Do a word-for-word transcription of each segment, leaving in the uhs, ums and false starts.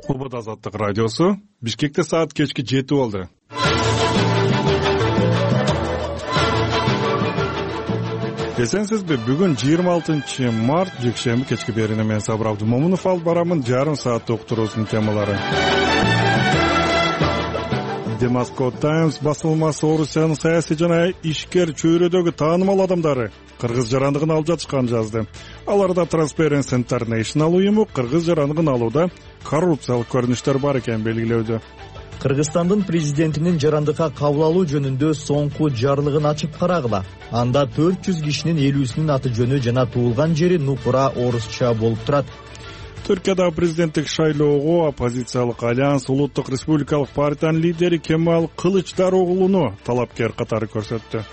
Убада Азаттык радиосу. Бишкекте саат кечки жети болду. Эсенсизби, бүгүн жыйырма алтынчы март жекшемби кечки берине мен Сабыр Абдымомунов алып барамын жарым сааттык уктуруусунун темалары. The Moscow Times басылмасы Орусиянын саясий жана ишкер чөйрөдөгү таанымал адамдары кыргыз жарандыгын алып жатышканын жазды. Аларда Transparency International уюму кыргыз жарандыгын алууда коррупциялык көрүнүштөр бар экенин белгилөөдө. Кыргызстандын президентинин жарандыкка кабыл алуу жөнүндө соңку жарлыгын ачып карагыла. Анда төрт жүз кишинин элүүсүнүн аты жөнү жана туулган жери нукура орусча болуп турат. Түркияда президенттик шайлоого оппозициялык альянс улуттук республикалык партиянын лидери Кемал Кылычдароглуну талапкер катары көрсөттү.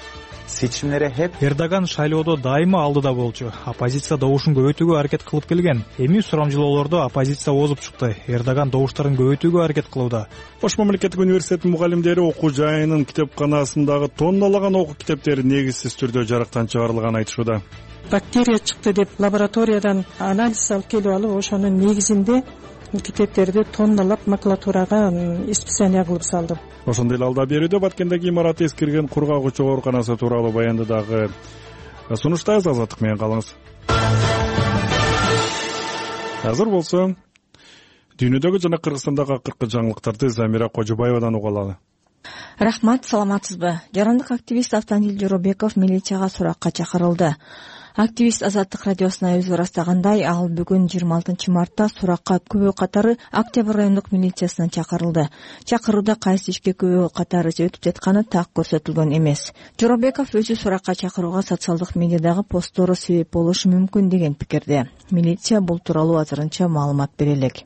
Seçimlere hep Эрдоган шайлоодо дайыма алдыда болчу. Оппозиция добушун көбөйтүүгө аракет кылып келген. Эми сурамжылоолордо оппозиция озуп чыкты. Эрдоган добуштарын көбөйтүүгө аракет кылууда. Ош мамлекеттик университетинин мугалимдери окуу жайынын китепканасындагы тонналаган окуу китептери негизсиз түрдө жарыктан чыгарылганын айтышууда. Бактерия чыкты деп лабораториядан анализ алып келип алып, ошонун негизинде китептерди тонналап макулатурага испытание кылып салды. Ошондой эле алда берүүдө Баткендеги имараты эскирген кургагычуу ооруканасы тууралуу баянды дагы сунуштайбыз. Азаттык менен калыңыз. Азыр болсо дүйнөдөгү жана Кыргызстандагы акыркы жаңылыктарды Замира Кожобаевадан уга алалы. Рахмат, саламатсызбы? Жарандык активист Автандил Жоробеков милицияга суракка чакырылды. Активист Азаттык радиосуна өзү ырастагандай, ал бүгүн жыйырма алтынчы мартта суракка күбө катары Октябрь райондук милициясына чакырылды. Чакырууда кайсы ишке күбө катары өтүп жатканы так көрсөтүлгөн эмес. Жоробеков өзү суракка чакырууга социалдык медиадагы посттору себеп болушу мүмкүн деген пикирде. Милиция бул тууралуу азырынча маалымат бере элек.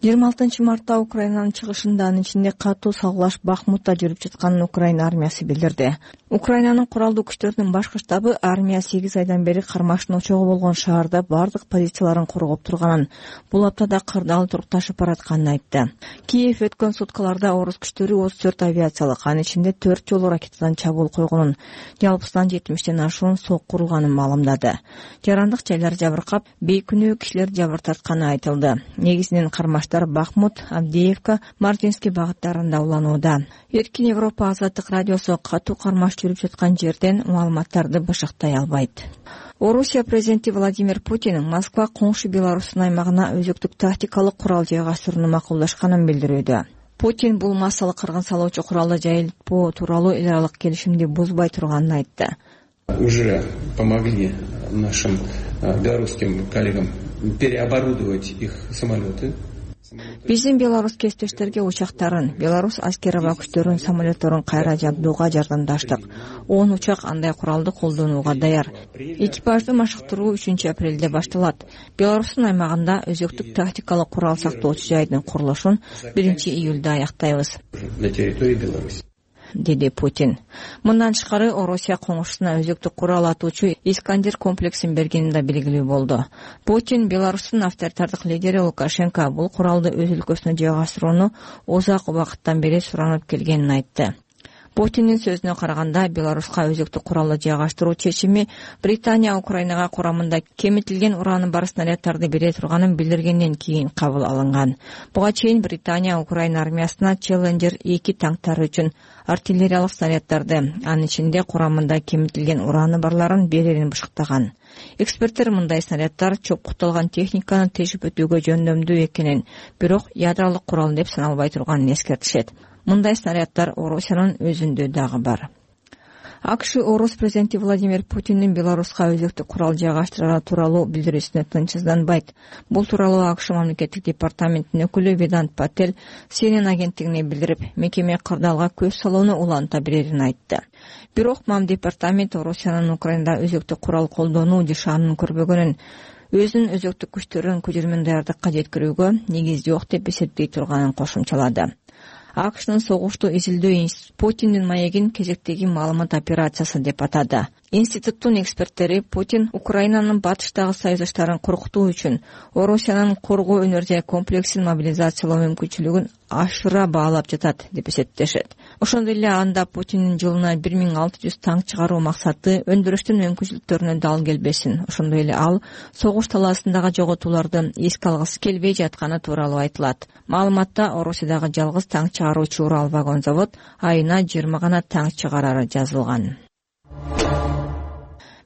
жыйырма алтынчы мартта Украинанын чыгышында, анын ичинде катуу салгылаш Бахмутта жүрүп жатканын Украина армиясы билдирди. Украинанын куралдуу күчтөрүнүн башкы штабы армия сегиз айдан бери кармаштын очогу болгон шаарда бардык позицияларын коргоп турганын, бул аптада кырдаал турукташып баратканын айтты. Киев өткөн суткаларда орус күчтөрү отуз төрт авиациялык, анын ичинде төрт жолу ракетадан чабуул койгонун, жалпысынан жетимиштен ашуун сок курулганын маалымдады. Жарандык жайлар жабыркап, бейкүнөө кишилер жабыр тартканы айтылды. Негизинен кармаштар Бахмут, Авдеевка, Мартинский багыттарында уланууда. Эркин Европа Азаттык радиосу катуу кармаш жүрүп жаткан жерден маалыматтарды бышыктай албайт. Орусия президенти Владимир Путин Москва коңшу Беларустун аймагына өзөктүк тактикалык курал жайгаштырууну макулдашканын билдирүүдө. Путин бул массалык кыргын салуучу куралды жайылтпоо тууралуу эл аралык келишимди бузбай турганын айтты. Уже помогли нашим белорусским коллегам переоборудовать их самолеты. Биздин белорус кесиптештерге учактарын, белорус аскери күчтөрүнүн самолетторун кайра жабдууга жардамдаштык. он учак андай куралды колдонууга даяр. Экипажды машыктыруу үчүнчү апрелде башталат. Белорустун аймагында өзөктүк тактикалык курал сактоочу жайдын курулушун биринчи июлда аяктайбыз, деди Путин. Мындан тышкары Орусия коңшусуна өзөктүк курал атуучу Искандер комплексин бергени да белгилүү болду. Путин Беларустун авторитардык лидери Лукашенко бул куралды өз өлкөсүнө жайгаштырууну узак убакыттан бери суранып келгенин айтты. Путиндин сөзүнө караганда, Беларуска өзөктүк куралды жайгаштыруу чечими Британия Украинага курамында кемитилген ураны бар снаряддарды бере турганын билдиргенден кийин кабыл алынган. Буга чейин Британия Украина армиясына Челленджер эки танктары үчүн артиллериялык снаряддарды, анын ичинде курамында кемитилген ураны барларын берерин бышыктаган. Эксперттер мындай снаряддар чопкуталган техниканы тешип өтүүгө жөндөмдүү экенин, бирок ядролук курал деп саналбай турганын эскертишет. Мындай снаряддар Орусиянын өзүндө дагы бар. АКШ орус президенти Владимир Путиндин Беларуска өзөктүк курал жайгаштыруу тууралуу билдирүүсүнө тынчсызданбайт. Бул тууралуу АКШ мамлекеттик департаментинин өкүлү Ведант Патель Си Эн Эн агенттигине билдирип, мекеме кырдаалга көз салууну уланта берерин айтты. Бирок мам департамент Орусиянын Украинада өзөктүк курал колдонуу жашаанын көрбөгөнүн, өзүнүн өзөктүк күчтөрүн көчүрмөн даярдыкка жеткирүүгө негиз жок деп эсептей турганын кошумчалады. АКШнын согушту изилдөө институту Путиндин маегин кезектеги маалымат операциясы деп атады. Институттун эксперттери Путин Украинанын батыштагы саясаттарын коркутуу үчүн Орусиянын коргоо энергия комплексин мобилизациялоо мүмкүнчүлүгүн ашыра баалап жатат деп эсептешет. Ошондой эле анда Путиндин жылына бир миң алты жүз танк чыгаруу максаты өндүрүштүн мүмкүнчүлүктөрүнө дал келбесин. Ошондой эле ал согуш талаасындагы жоготууларды эске алгысы келбей жатканы тууралуу айтылат. Маалыматта Орусиядагы жалгыз танк чыгаруучу Урал вагон завод айына жыйырма гана танк чыгарары жазылган.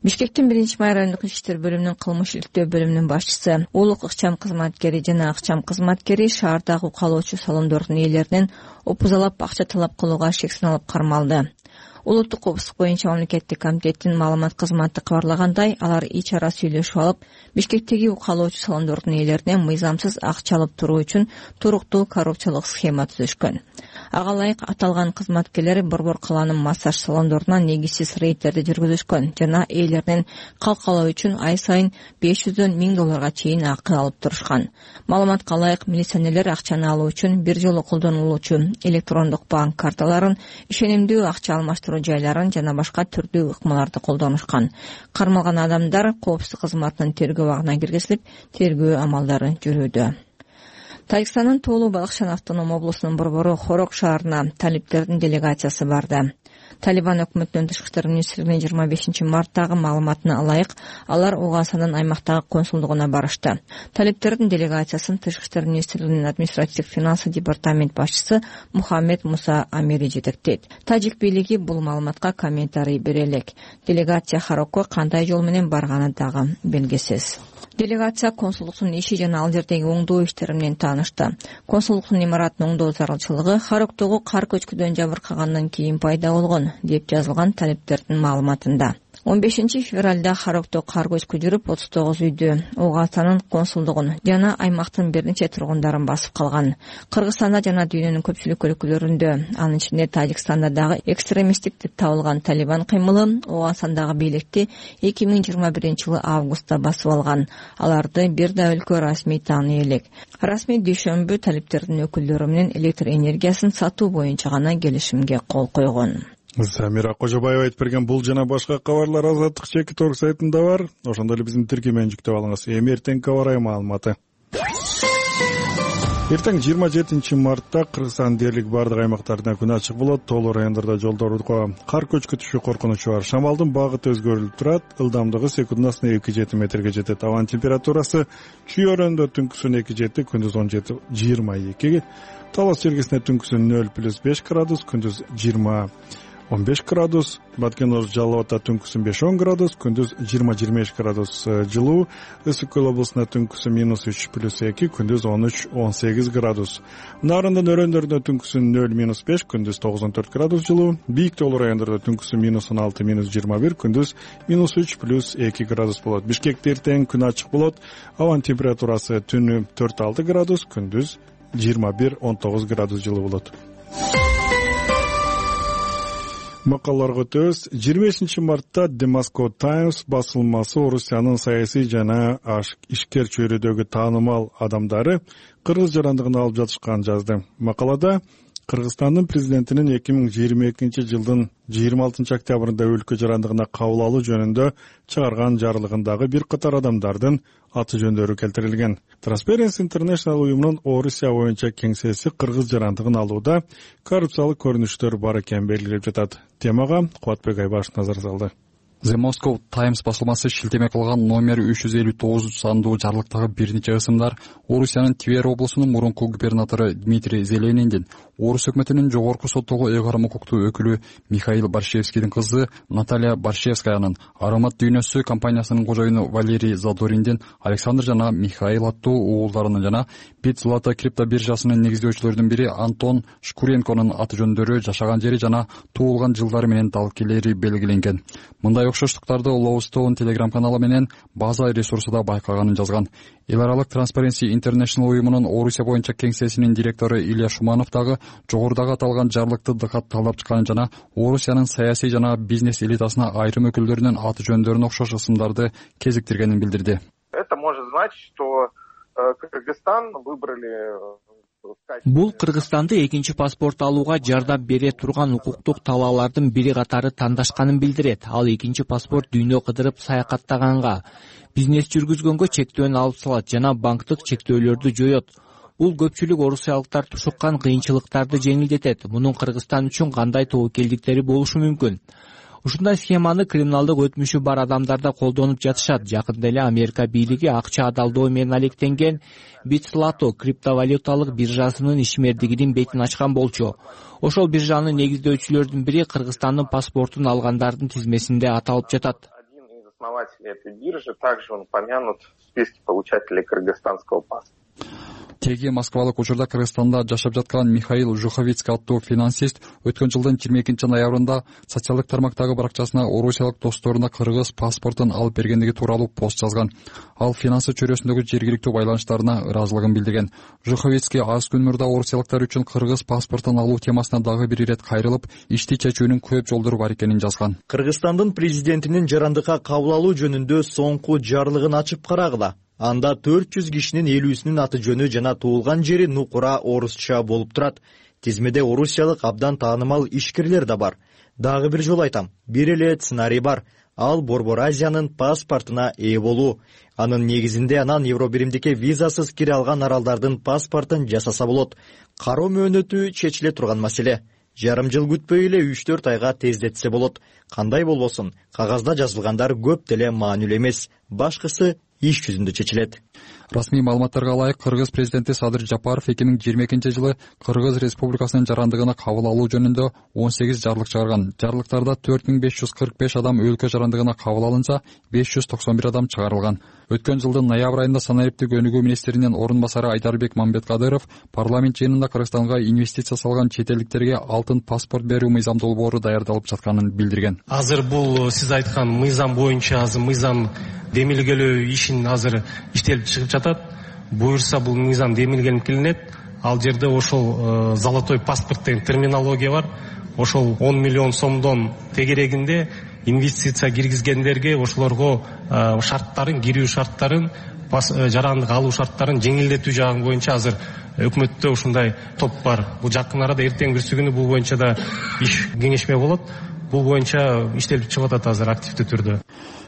Бишкектин биринчи май райондук ички иштер бөлүмүнүн кылмыш иликтөө бөлүмүнүн башчысы, улук ыкчам кызматкери жана акчам кызматкери шаардагы укалоочу салондордун ээлеринен опузалап акча талап кылууга шек саналып кармалды. Улуттук коопсуздук боюнча мамлекеттик комитеттин маалымат кызматы кабарлагандай, алар ич ара сүйлөшүп алып, Бишкектеги укалоочу салондордун ээлеринен мыйзамсыз акча алып туруу үчүн туруктуу коррупциялык схема түзүшкөн. Ага ылайык аталган кызматкерлер Борбор калаанын массаж салондоруна негизсиз рейдтерди жүргүзүшкөн жана ээлеринен калкалоо үчүн ай сайын беш жүздөн миң долларга чейин акы алып турушкан. Маалыматка ылайык, милиционерлер акчаны алуу үчүн бир жолу колдонулуучу электрондук банк карталарын, ишенимдүү акча алмаштыруу жайларын жана башка түрдүү ыкмаларды колдонушкан. Кармалган адамдар коопсуздук кызматынын тергөө абагына киргизилип, тергөө амалдары жүрүүдө. Тажикстандын Тоолуу Балыкчан автоном облусунун борбору Хорок шаарына талиптердин делегациясы барды. Талибан өкмөтүнүн тышкы иштер министрлигинин жыйырма бешинчи марттагы маалыматына ылайык, алар Угасанын аймактагы консулдугуна барышты. Талиптердин делегациясын тышкы иштер министрлигинин административдик финансы департамент башчысы Мухаммед Муса Амири жетектейт. Тажик бийлиги бул маалыматка комментарий бере элек. Делегация Хорокко кандай жол менен барганы дагы белгисиз. Делегация консулдуктун иши жана ал жердеги оңдоо иштери менен таанышты. Консулдуктун имаратын оңдоо зарылчылыгы Хорокдогу кар көчкүдөн жабыркагандан кийин пайда болгон, деп жазылган талиптердин маалыматында. он бешинчи февралда Хорокдо кар көчкү жүрүп, отуз тогуз үйдү, Угасанын консулдугун жана аймактын бир нече тургундарын басып калган. Кыргызстанда жана дүйнөнүн көпчүлүк өлкөлөрүндө, анын ичинде Тажикстанда дагы экстремисттик деп табылган Талибан кыймылы Угасандагы бийликти эки миң жыйырма биринчи жылы августта басып алган. Аларды бир да өлкө расмий тааный элек. Расмий дүйшөмбү талиптердин өкүлдөрү менен электр энергиясын сатуу боюнча гана келишимге кол койгон. Самира Кожобаева айтып берген бул жана башка кабарлар Азаттык чекит орг сайтында бар. Ошондой эле биздин тиркемени жүктөп алыңыз. Эми эртең кабарай маалыматы. Эртең жыйырма жетинчи мартта Кыргызстан дээрлик бардык аймактарында күн ачык болот. Тоолуу райондордо жолдорго кар көчкү түшүү коркунучу бар. Шамалдын багыты өзгөрүлүп турат. Ылдамдыгы секундасына эки жети метрге жетет. Абанын температурасы Чүй өрөөнүндө түнкүсүн эки жети, күндүз он жети жыйырма эки. Талас жергесинде түнкүсүн нөл плюс беш градус, күндүз жыйырма он беш градус, Баткен Орус Жалал Абадта түнкүсүн беш он градус, күндүз жыйырма жыйырма беш градус жылуу, Ысык Көл облусунда түнкүсүн минус үч плюс эки, күндүз он үч он сегиз градус. Нарындын өрөөндөрүндө түнкүсүн нөл минус беш, күндүз тогуз он төрт градус жылуу, Бийик тоолуу райондордо түнкүсүн минус он алты минус жыйырма бир, күндүз минус үч плюс эки градус болот. Бишкекте эртең күн ачык болот. Абанын температурасы түнү төрт алты градус, күндүз жыйырма бир он тогуз градус жылуу болот. Макалаларга өтөбүз. жыйырма бешинчи мартта The Moscow Times басылмасы Орусиянын саясий жана ишкер чөйрөдөгү таанымал адамдары кыргыз жарандыгын алып жатышканын жазды. Макалада Кыргызстандын президентинин эки миң жыйырма экинчи жылдын жыйырма алтынчы октябрында өлкө жарандыгына кабыл алуу жөнүндө чыгарган жарлыгындагы бир катар адамдардын аты жөндөрү келтирилген. Transparency International уюмунун Орусия боюнча кеңсеси кыргыз жарандыгын алууда коррупциялык көрүнүштөр бар экенин белгилеп жатат. Темага Кубатбек Айбашев назар салды. The Moscow Times басылмасы шилтеме кылган номер үч жүз элүү тогуз сандуу жарлыктагы бир нече ысымдар Орусиянын Твер облусунун мурунку губернатору Дмитрий Зелениндин, Орус өкмөтүнүн жогорку соттогу ыйгарым укуктуу өкүлү Михаил Борщевскийдин кызы Наталья Борщевскаянын, Аромат дүйнөсү компаниясынын кожоюну Валерий Задориндин, Александр жана Михаил аттуу уулдарынын жана Бит Злата крипто биржасынын негиздөөчүлөрүнүн бири Антон Шкуренконун аты жөндөрү, жашаган жери жана туулган жылдары менен далилдери белгиленген. Мындай окшоштуктарды Lowstone Telegram каналы менен база ресурсуда байкаганын жазган. Эл аралык Transparency International уюмунун Орусия боюнча кеңсесинин директору Илья Шуманов дагы жогорудагы аталган жарлыкты катталып чыкканын жана Орусиянын саясий жана бизнес элитасына айрым өкүлдөрүнүн аты жөндөрүнө окшош ысымдарды кезиктиргенин билдирди. Это может значить, что Кыргызстан выбрали Бул Кыргызстанды экинчи паспорт алууга жардам бере турган укуктук талаалардын бири катары тандашканын билдирет. Ал экинчи паспорт дүйнө кыдырып саякаттаганга, бизнес жүргүзгөнгө чектөөнү алып салат жана банктык чектөөлөрдү жоет. Бул көпчүлүк орусиялыктар тушуккан кыйынчылыктарды жеңилдетет. Мунун Кыргызстан үчүн кандай тобокелдиктери болушу мүмкүн? Ушундай схеманы криминалдык өтмүшү бар адамдар да колдонуп жатышат. Жакында эле Америка бийлиги акча адалдоо менен алектенген Bitslato криптовалюталык биржасынын ишмердигинин бетин ачкан болчу. Ошол биржанын негиздөөчүлөрдүн бири Кыргызстандын паспортун алгандардын тизмесинде аталып жатат. Один из основателей этой биржи также он упомянут в списке получателей кыргызстанского паспорта. Теги Москвалык учурда Кыргызстанда жашап жаткан Михаил Жуховицкий аттуу финансист өткөн жылдын жыйырма экинчи ноябрында социалдык тармактагы баракчасына орусиялык досторуна кыргыз паспортун алып бергендиги тууралуу пост жазган. Ал финансы чөйрөсүндөгү жергиликтүү байланыштарына ыраазылыгын билдирген. Жуховицкий аз күн мурда орусиялыктар үчүн кыргыз паспортун алуу темасына дагы бир ирет кайрылып, ишти чечүүнүн көп жолдору бар экенин жазган. Кыргызстандын президентинин жарандыкка кабыл алуу жөнүндө соңку жарлыгын ачып карагыла. Анда төрт жүз кишинин элүүсүнүн аты жөнү жана туулган жери нукура орусча болуп турат. Тизмеде орусиялык абдан таанымал ишкерлер да бар. Дагы бир жолу айтам, бир эле сценарий бар. Ал Борбор Азиянын паспортуна ээ болуу. Анын негизинде анан Евробиримдикке визасыз кире алган аралдардын паспортун жасаса болот. Кароо мөөнөтү чечиле турган маселе. Жарым жыл күтпөй эле үч төрт айга тездетсе болот. Кандай болбосун, кагазда жазылгандар көп деле маанилүү эмес. Башкысы иш жүзүндө чечилет. Расмий маалыматтарга ылайык, Кыргыз президенти Садыр Жапаров эки миң жыйырма экинчи жылы Кыргыз Республикасынын жарандыгына кабыл алуу жөнүндө он сегиз жарлык чыгарган. Жарлыктарда төрт миң беш жүз кырк беш адам өлкө жарандыгына кабыл алынса, беш жүз токсон бир адам чыгарылган. Өткөн жылдын ноябрь айында санариптик өнүгүү министринин орун басары Айдарбек Мамбеткадыров парламент жыйынында Кыргызстанга инвестиция салган чет элдиктерге алтын паспорт берүү мыйзам долбоору даярдалып жатканын билдирген. Азыр бул сиз айткан мыйзам боюнча азыр мыйзам демилгелөө ишин азыр иштелип чыгып жатат. Буюрса бул мыйзам демилгелип келинет. Ал жерде ошол золотой паспорт деген терминология бар. Ошол он миллион сомдон тегерегинде инвестиция киргизгендерге ошолорго шарттарын, кирүү шарттарын, жарандык алуу шарттарын жеңилдетүү жагы боюнча азыр өкмөттө ушундай топ бар. Бул жакын арада эртең бүрсү күнү бул боюнча да иш кеңешме болот. Бул боюнча иштелип чыгып атат азыр активдүү түрдө.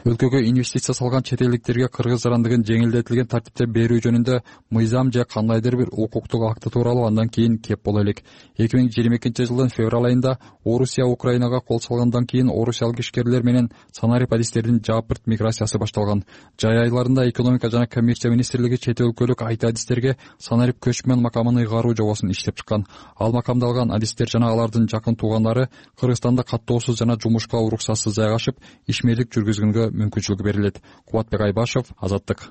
Өлкөгө инвестиция салган чет элдиктерге кыргыз жарандыгын жеңилдетилген тартипте берүү жөнүндө мыйзам же кандайдыр бир укуктук акты тууралуу андан кийин кеп боло элек. эки миң жыйырма экинчи жылдын февраль айында Орусия Украинага кол салгандан кийин орусиялык ишкерлер менен санарип адистердин жапырт миграциясы башталган. Жай айларында экономика жана коммерция министрлиги чет өлкөлүк айт адистерге санарип көчмөн макамын ыйгаруу жобосун иштеп чыккан. Ал макамды алган адистер жана алардын жакын туугандары Кыргызстанда каттоосуз жана жумушка уруксатсыз жайгашып, ишмерлик жүргүзгөнгө мүмкүнчүлүк берилет. Кубатбек Айбашев, Азаттык.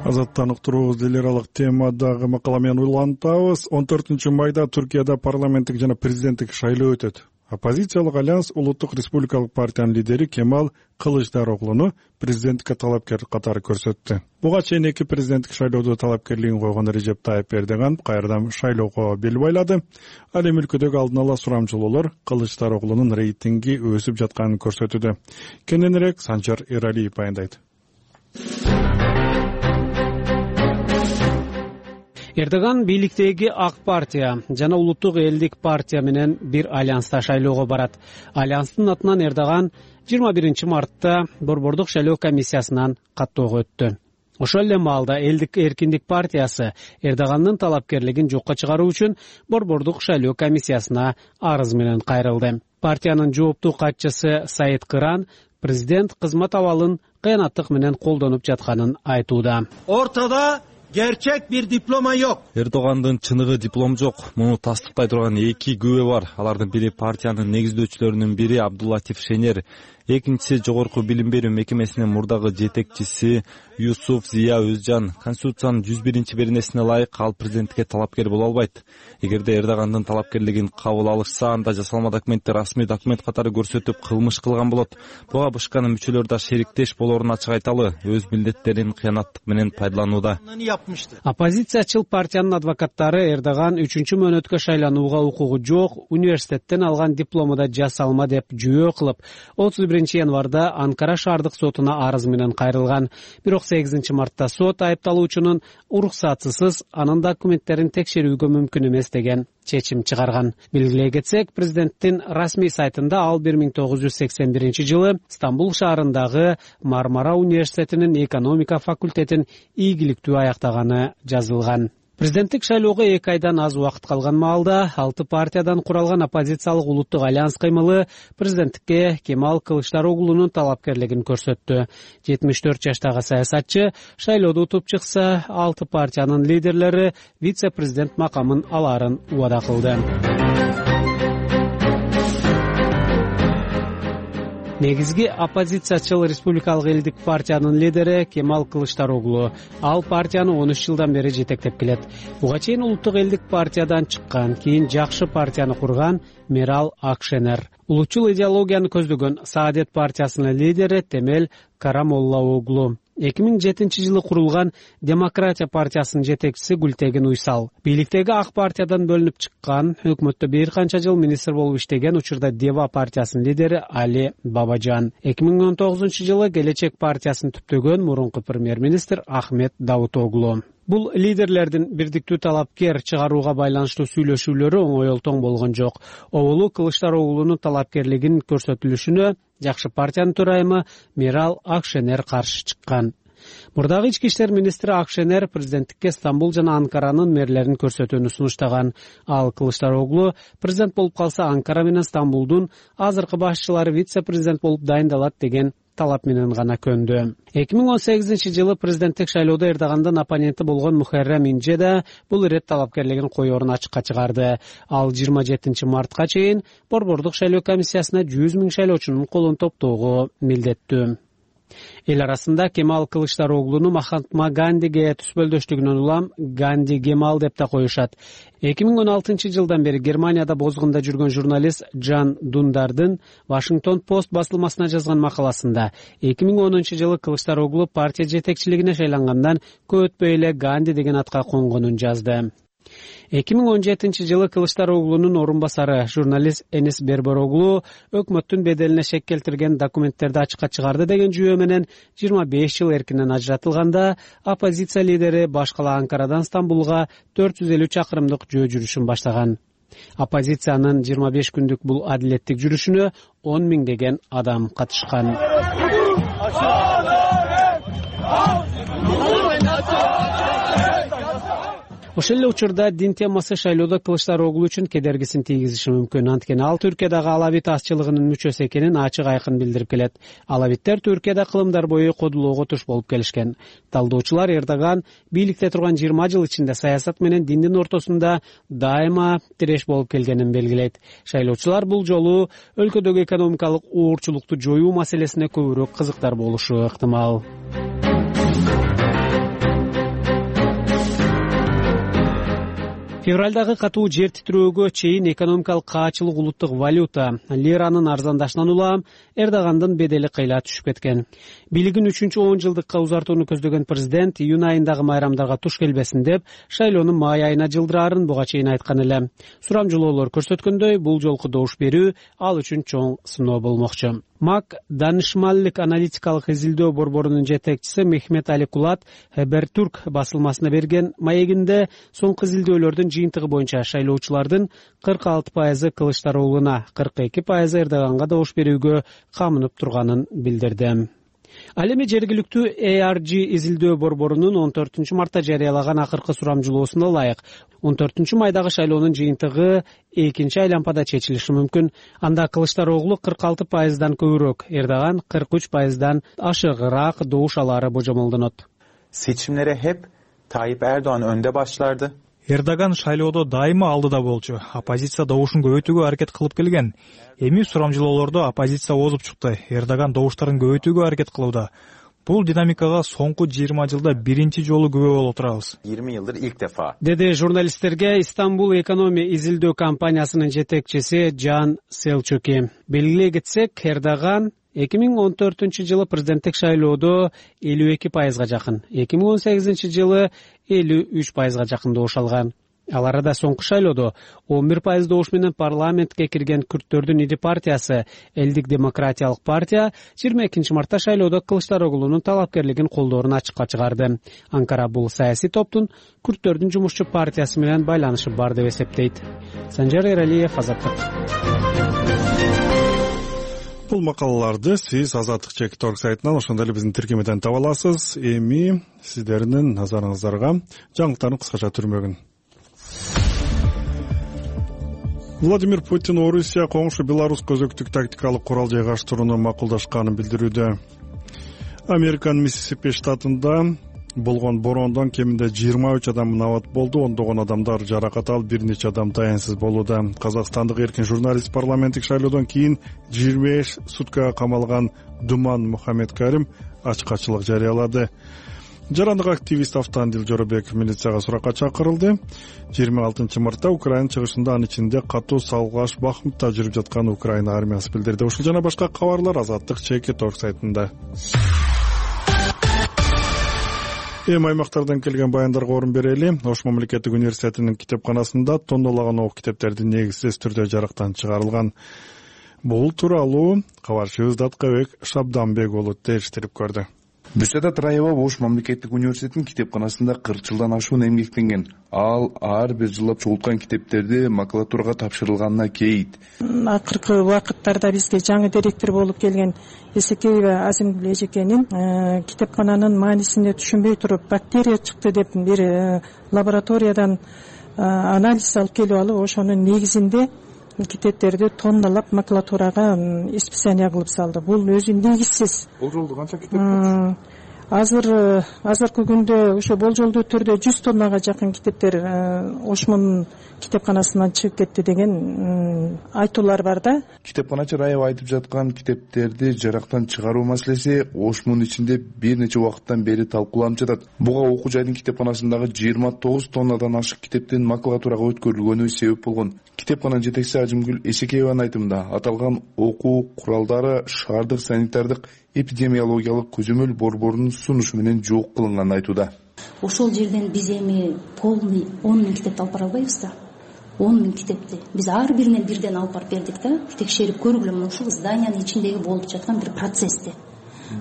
Азаттан уктуруубуз делералык темадагы макала менен улантабыз. он төртүнчү майда Түркияда парламенттик жана президенттик шайлоо өтөт. Оппозициялык альянс Улуттук республикалык партиянын лидери Кемал Кылычдароглуну президенттикке талапкер катары көрсөттү. Буга чейин эки президенттик шайлоодо талапкерлигин койгон Режеп Тайып Эрдоган кайрадан шайлоого бел байлады. Ал эми өлкөдөгү алдын ала сурамжылоолор Кылычдароглунун рейтинги өсүп жатканын көрсөтүүдө. Кененирээк Санжар Эралиев баяндайт. Эрдоган бийликтеги Ак партия жана Улуттук элдик партия менен бир альянста шайлоого барат. Альянстын атынан Эрдоган жыйырма биринчи мартта Борбордук шайлоо комиссиясынан каттоого өттү. Ошол эле маалда Элдик эркиндик партиясы Эрдогандын талапкерлигин жокко чыгаруу үчүн Борбордук шайлоо комиссиясына арыз менен кайрылды. Партиянын жооптуу катчысы Саид Кыран президент кызмат абалын кыянаттык менен колдонуп жатканын айтууда. Ортодо gerçek bir diploma yok. Эрдогандын чыныгы диплом жок. Муну тастыктай турган эки күбө бар. Алардын бири партиянын негиздөөчүлөрүнүн бири Абдуллатиф Шенер, экинчиси жогорку билим берүү мекемесинин мурдагы жетекчиси Юсуф Зия Өзжан. Конституциянын жүз биринчи беренесине ылайык ал президенттикке талапкер боло албайт. Эгерде Эрдогандын талапкерлигин кабыл алышса, анда жасалма документти расмий документ катары көрсөтүп кылмыш кылган болот. Буга БШКнын мүчөлөрү да шериктеш болоорун ачык айталы, өз милдеттерин кыянаттык менен пайдаланууда. Оппозициячыл партиянын адвокаттары Эрдоган үчүнчү мөөнөткө шайланууга укугу жок, университеттен алган диплому да жасалма деп жүйө кылып, отуз биринчи биринчи январда Анкара шаардык сотуна арыз менен кайрылган. Бирок сегизинчи мартта сот айыпталуучунун уруксатысыз анын документтерин текшерүүгө мүмкүн эмес деген чечим чыгарган. Белгилей кетсек, президенттин расмий сайтында ал бир миң тогуз жүз сексен биринчи жылы Стамбул шаарындагы Мармара университетинин экономика факультетин ийгиликтүү аяктаганы жазылган. Президенттик шайлоого эки айдан аз убакыт калган маалда алты партиядан куралган оппозициялык улуттук альянс кыймылы президенттикке Кемал Кылычдароглунун талапкерлигин көрсөттү. жетимиш төрт жаштагы саясатчы шайлоодо утуп чыкса, алты партиянын лидерлери вице-президент макамын алаарын убада кылды. Негизги оппозициячыл Республикалык элдик партиянын лидери Кемал Кылычдароглу. Ал партияны он үч жылдан бери жетектеп келет. Буга чейин улуттук элдик партиядан чыккан, кийин Жакшы партияны курган Мерал Акшенер. Улутчул идеологияны көздөгөн Саадет партиясынын лидери Темел Карамоллаоглу. эки миң жетинчи жылы курулган Демократия партиясынын жетекчиси Гүлтегин Уйсал. Бийликтеги Ак партиядан бөлүнүп чыккан, өкмөттө бир канча жыл министр болуп иштеген учурда Дева партиясынын лидери Али Бабажан. эки миң он тогузунчу жылы Келечек партиясын түптөгөн мурунку премьер-министр Ахмет Давутоглу. Бул лидерлердин бирдиктүү талапкер чыгарууга байланыштуу сүйлөшүүлөрү оңойлтоң болгон жок. Оболу Кылычдароглунун талапкерлигин көрсөтүлүшүнө Жакшы партиянын төрайымы Мерал Акшенер каршы чыккан. Мурдагы ички иштер министри Акшенер президенттикке Стамбул жана Анкаранын мэрлерин көрсөтүүнү сунуштаган. Ал Кылычдароглу президент болуп калса Анкара менен Стамбулдун азыркы башчылары вице-президент болуп дайындалат деген талап менен гана көндү. эки миң он сегизинчи жылы президенттик шайлоодо Эрдогандын оппоненти болгон Мухаррем Инже да бул ирет талапкерлигин коерун ачыкка чыгарды. Ал жыйырма жетинчи мартка чейин Борбордук шайлоо комиссиясына жүз миң шайлоочунун колун топтоого милдеттүү. Эл арасында Кемал Кылычдароглуну Махатма Гандиге түспөлдөштүгүнөн улам Ганди Кемал деп да коюшат. эки миң он алтынчы жылдан бери Германияда бозгунда жүргөн журналист Жан Дундардын Вашингтон Пост басылмасына жазган макаласында эки миң онунчу жылы Кылычдароглу партия жетекчилигине шайлангандан көп өтпөй эле Ганди деген атка конгонун жазды. эки миң он жетинчи жылы Кылычдароглунун орун басары журналист Энис Бербороглу өкмөттүн беделине шек келтирген документтерди ачыкка чыгарды деген жүйө менен жыйырма беш жыл эркинен ажыратылганда оппозиция лидери баш кала Анкарадан Стамбулга төрт жүз элүү чакырымдык жөө жүрүшүн баштаган. Оппозициянын жыйырма беш күндүк бул адилеттик жүрүшүнө он миңдеген адам катышкан. Ошол эле учурда дин темасы шайлоодо Кылычдароглу үчүн кедергисин тийгизиши мүмкүн. Анткени ал Түркиядагы алавит азчылыгынын мүчөсү экенин ачык айкын билдирип келет. Алавиттер Түркияда кылымдар бою кодулоого туш болуп келишкен. Талдоочулар Эрдоган бийликте турган жыйырма жыл ичинде саясат менен диндин ортосунда дайыма тиреш болуп келгенин белгилейт. Шайлоочулар бул жолу өлкөдөгү экономикалык оорчулукту жоюу маселесине көбүрөөк кызыктар болушу ыктымал. Февралдагы катуу жер титирөөгө чейин экономикалык каачылык улуттук валюта лиранын арзандашынан улам Эрдогандын бедели кыйла түшүп кеткен. Бийлигин үчүнчү он жылдыкка узартууну көздөгөн президент июнь айындагы майрамдарга туш келбесин деп шайлоонун май айына жылдыраарын буга чейин айткан эле. Сурамжылоолор көрсөткөндөй, бул жолку добуш берүү ал үчүн чоң сыноо болмокчу. МАК Данышмаллык аналитикалык изилдөө борборунун жетекчиси Мехмет Али Кулат Хабертурк басылмасына берген маегинде соңку изилдөөлөрдүн жыйынтыгы боюнча шайлоочулардын кырк алты пайызы Кылычдароглуна, кырк эки пайызы Эрдоганга добуш берүүгө камынып турганын билдирди. Ал эми жергиликтүү А Р G изилдөө борборунун он төртүнчү мартта жарыялаган акыркы сурамжылоосуна ылайык он төртүнчү майдагы шайлоонун жыйынтыгы экинчи айлампада чечилиши мүмкүн. Анда Кылычдароглу кырк алты пайыздан көбүрөөк, Эрдоган кырк үч пайыздан ашыгыраак добуш алаары божомолдонот. Seçimlere hep Tayyip Erdoğan önde başlardı. Эрдоган шайлоодо дайыма алдыда болчу. Оппозиция добушун көбөйтүүгө аракет кылып келген. Эми сурамжылоолордо оппозиция озуп чыкты. Эрдоган добуштарын көбөйтүүгө аракет кылууда. Бул динамикага соңку жыйырма жылда биринчи жолу күбө болуп турабыз. yirmi yıldır ilk defa. Деди журналисттерге Истанбул экономия изилдөө компаниясынын жетекчиси Жан Селчуки. Белгилей кетсек, Эрдоган эки миң он төртүнчү жылы президенттик шайлоодо элүү эки пайызга жакын, эки миң он сегизинчи жылы элүү үч пайызга жакын добуш алган. Ал арада соңку шайлоодо он бир пайыз добуш менен парламентке кирген күрттөрдүн ири партиясы Элдик демократиялык партия жыйырма экинчи мартта шайлоодо Кылычдароглунун талапкерлигин колдоорун ачыкка чыгарды. Анкара бул саясий топтун күрттөрдүн жумушчу партиясы менен байланышы бар деп эсептейт. Санжар Эралиев, Азаттык. Бул макалаларды сиз Азаттык чекит орг сайтынан ошондой эле биздин тиркемеден таба аласыз. Эми сиздердин назарыңыздарга жаңылыктардын кыскача түрмөгүн. Владимир Путин Орусия коңшу Беларусь көзөктүк тактикалык курал жайгаштырууну макулдашканын билдирүүдө. Американын Миссисипи штатында болгон бороондон кеминде жыйырма үч адам набат болду, ондогон адамдар жаракат алып, бир нече адам таянсыз болууда. Казакстандык эркин журналист парламенттик шайлоодон кийин жыйырма беш суткага камалган Думан Мухаммедкарим ачкачылык жарыялады. Жарандык активист Автандил Жоробеков милицияга суракка чакырылды. жыйырма алтынчы мартта Украина чыгышында анын ичинде катуу салгылаш Бахмутта жүрүп жаткан Украина армиясы билдирди. Ушул жана башка кабарлар Азаттык чекит орг сайтында. Эми аймактардан келген баяндарга орун берели. Ош мамлекеттик университетинин китепканасында тоннолаган ок китептерди негизсиз түрдө жарыктан чыгарылган. Бул тууралуу кабарчыбыз Даткабек Шабданбек уулу териштирип көрдү. Бюсада Траева Ош мамлекеттик университетинин китепканасында кырк жылдан ашуун эмгектенген. Ал ар бир жылап чогулткан китептерди макулатурага тапшырылганына кейит. Акыркы убакыттарда бизге жаңы директор болуп келген Эсекеева Азимгүл эжекенин китепкананын маанисине түшүнбөй туруп, бактерия чыкты деп бир лабораториядан анализ алып келип алып, ошонун негизинде китептерди тонналап макулатурага исписание кылып салды. Бул өзү негизсиз. Болжолдуу канча китеп? Азыр азыркы күндө ошо болжолдуу түрдө жүз тоннага жакын китептер Ошмун китепканасынан чыгып кетти деген айтуулар бар да. Китепканачы Раева айтып жаткан китептерди жарактан чыгаруу маселеси Ошмун ичинде бир нече убакыттан бери талкууланып жатат. Буга окуу жайдын китепканасындагы жыйырма тогуз тоннадан ашык китептин макулатурага өткөрүлгөнү себеп болгон. Китепкананын жетекчиси Ажымгүл Эсекееванын айтымында, аталган окуу куралдары шаардык санитардык эпидемиологиялык көзөмөл борборунун сунушу менен жок кылынганын айтууда. Ошол жерден биз эми полный он миң китепти алып бара албайбыз да. он миң китепти биз ар биринен бирден алып барып бердик да. Текшерип көргүлө, мына ушул зданиянын ичиндеги болуп жаткан бир процессти.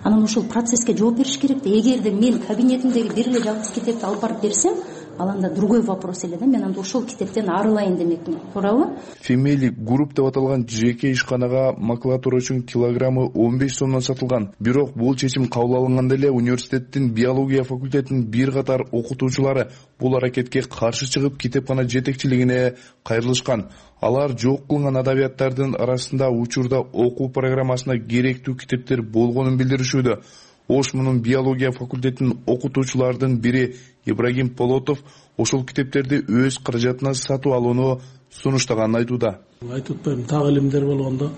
Анан ушул процесске жооп бериш керек да. Эгерде мен кабинетимдеги бир эле жалгыз китепти алып барып берсем, ал анда другой вопрос эле да. Мен анда ошол китептен арылайын демекмин. Туурабы? Family Group деп аталган жеке ишканага макулатура үчүн килограммы он беш сомдон сатылган. Бирок бул чечим кабыл алынганда эле университеттин биология факультетинин бир катар окутуучулары бул аракетке каршы чыгып, китепкана жетекчилигине кайрылышкан. Алар жок кылынган адабияттардын арасында учурда окуу программасына керектүү китептер болгонун билдиришүүдө. Ошмунун биология факультетинин окутуучулардын бири Ибрагим Полотов ошол китептерди өз каражатына сатып алууну сунуштаганын айтууда. Айтып атпайм, так илимдер болгондо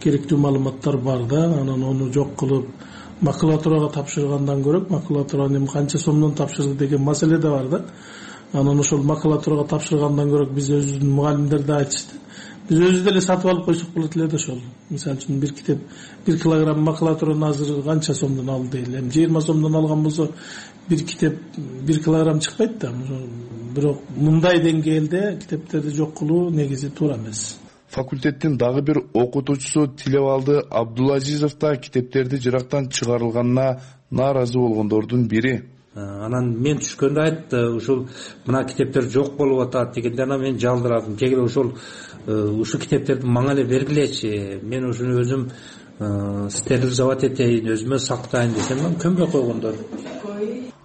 керектүү маалыматтар бар да, анан ону жок кылып макулатурага тапшыргандан көрө, макулатураны канча сомдон тапшырды деген маселе да бар да. Анан ошол макулатурага тапшыргандан көрө биз өзүбүздүн мугалимдер да айтышты. Биз өзүбүз деле сатып алып койсок болот эле да ошол. Мисалы үчүн бир китеп бир килограмм макулатураны азыр канча сомдон алды дейли. Эми жыйырма сомдон алган болсо бир китеп бир килограмм чыкпайт да. Бирок мындай деңгээлде китептерди жок кылуу негизи туура эмес. Факультеттин дагы бир окутуучусу Тилебалды Абдулазизов да китептерди жырактан чыгарылганына нааразы болгондордун бири. Анан мен түшкөндө айтты, ушул мына китептер жок болуп атат дегенде анан мен жалдырадым. Кегиле ошол ушул китептерди мага эле бергилечи. Мен ушуну өзүм стерилизовать этейин, өзүмө сактайын десем, көмбөй койгондор.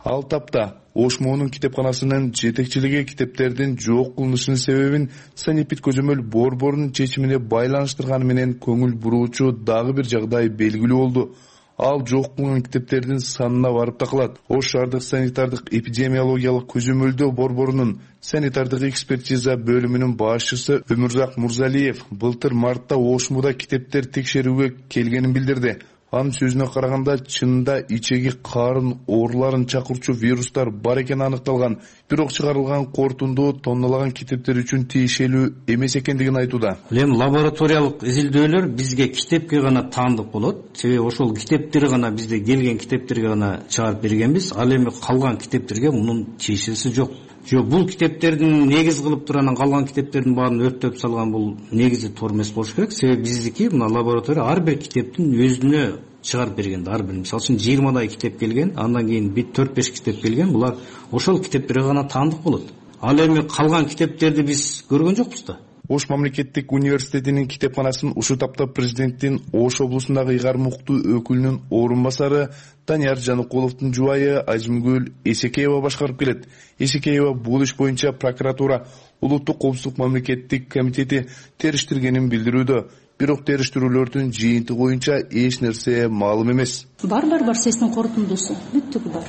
Ал тапта Ошмунун китепканасынын жетекчилиги китептердин жок кылынышынын себебин санепид көзөмөл борборунун чечимине байланыштырганы менен көңүл буруучу дагы бир жагдай белгилүү болду. Ал жок кылынган китептердин санына барып такалат. Ош шаардык санитардык эпидемиологиялык көзөмөлдөө борборунун санитардык экспертиза бөлүмүнүн башчысы Өмүрзак Мурзалиев былтыр мартта Ошмуда китептер текшерүүгө келгенин билдирди. Анын сөзүнө караганда, чынында ичеги карын ооруларын чакырчу вирустар бар экени аныкталган. Бирок чыгарылган кортунду тонналаган китептер үчүн тиешелүү эмес экендигин айтууда. Эми лабораториялык изилдөөлөр бизге китепке гана таандык болот. Себеби ошол китептер гана бизде келген китептерге гана чыгарып бергенбиз. Ал эми калган китептерге мунун тиешеси жок. жок бул китептердин негиз кылып туруп анан калган китептердин баарын өрттөп салган бул негизи туура эмес болуш керек. Себеби биздики мына лаборатория ар бир китептин өзүнө чыгарып берген. Ар бир мисалы үчүн жыйырмадай китеп келген, андан кийин бир төрт беш китеп келген. Булар ошол китептерге гана таандык болот. Ал эми калган китептерди биз көргөн жокпуз да. Ош мамлекеттик университетинин китепканасын ушул тапта президенттин Ош облусундагы ыйгар муктуу өкүлүнүн орун басары Данияр Жаныкуловдун жубайы Ажымгүл Эсекеева башкарып келет. Эсекеева бул иш боюнча прокуратура Улуттук коопсуздук мамлекеттик комитети териштиргенин билдирүүдө. Бирок териштирүүлөрдүн жыйынтыгы боюнча эч нерсе маалым эмес. Бар бар бар сестин корутундусу бүттүгү бар.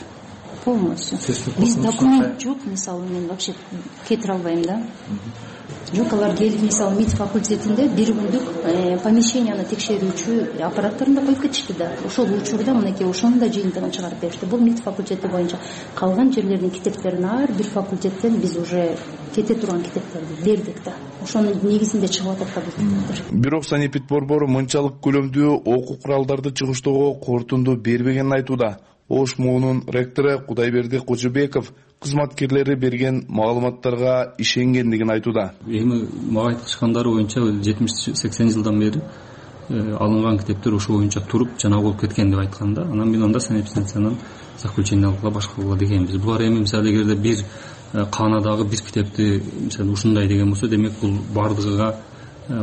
Полностью. Биз документ жок, мисалы мен вообще кетире албайм да. Жок, алар келип мисалы МИД факультетинде бир күндүк помещенияны текшерүүчү аппараттарында коюп кетишти да. Ошол учурда мынакей ошонун да жыйынтыгын чыгарып беришти. Бул МИД факультети боюнча калган жерлердин китептерин ар бир факультеттен биз уже кете турган китептерди бердик да. Ошонун негизинде чыгып атат да бул китептер. Бирок санэпид борбору мынчалык көлөмдүү окуу куралдарды чыгыштоого корутунду бербегенин айтууда. Ош МОУнун ректору Кудайберди Кожобеков кызматкерлери берген маалыматтарга ишенгендигин айтууда. Эми мага айткандары боюнча жетимиш сексен жылдан бери алынган китептер ошол боюнча туруп жана болуп кеткен деп айткан да. Анан мен анда санэпидстанциянын заключение алгыла башкарууга дегенбиз. Булар эми мисалы эгерде бир каанадагы бир китепти мисалы ушундай деген болсо, демек бул бардыгыга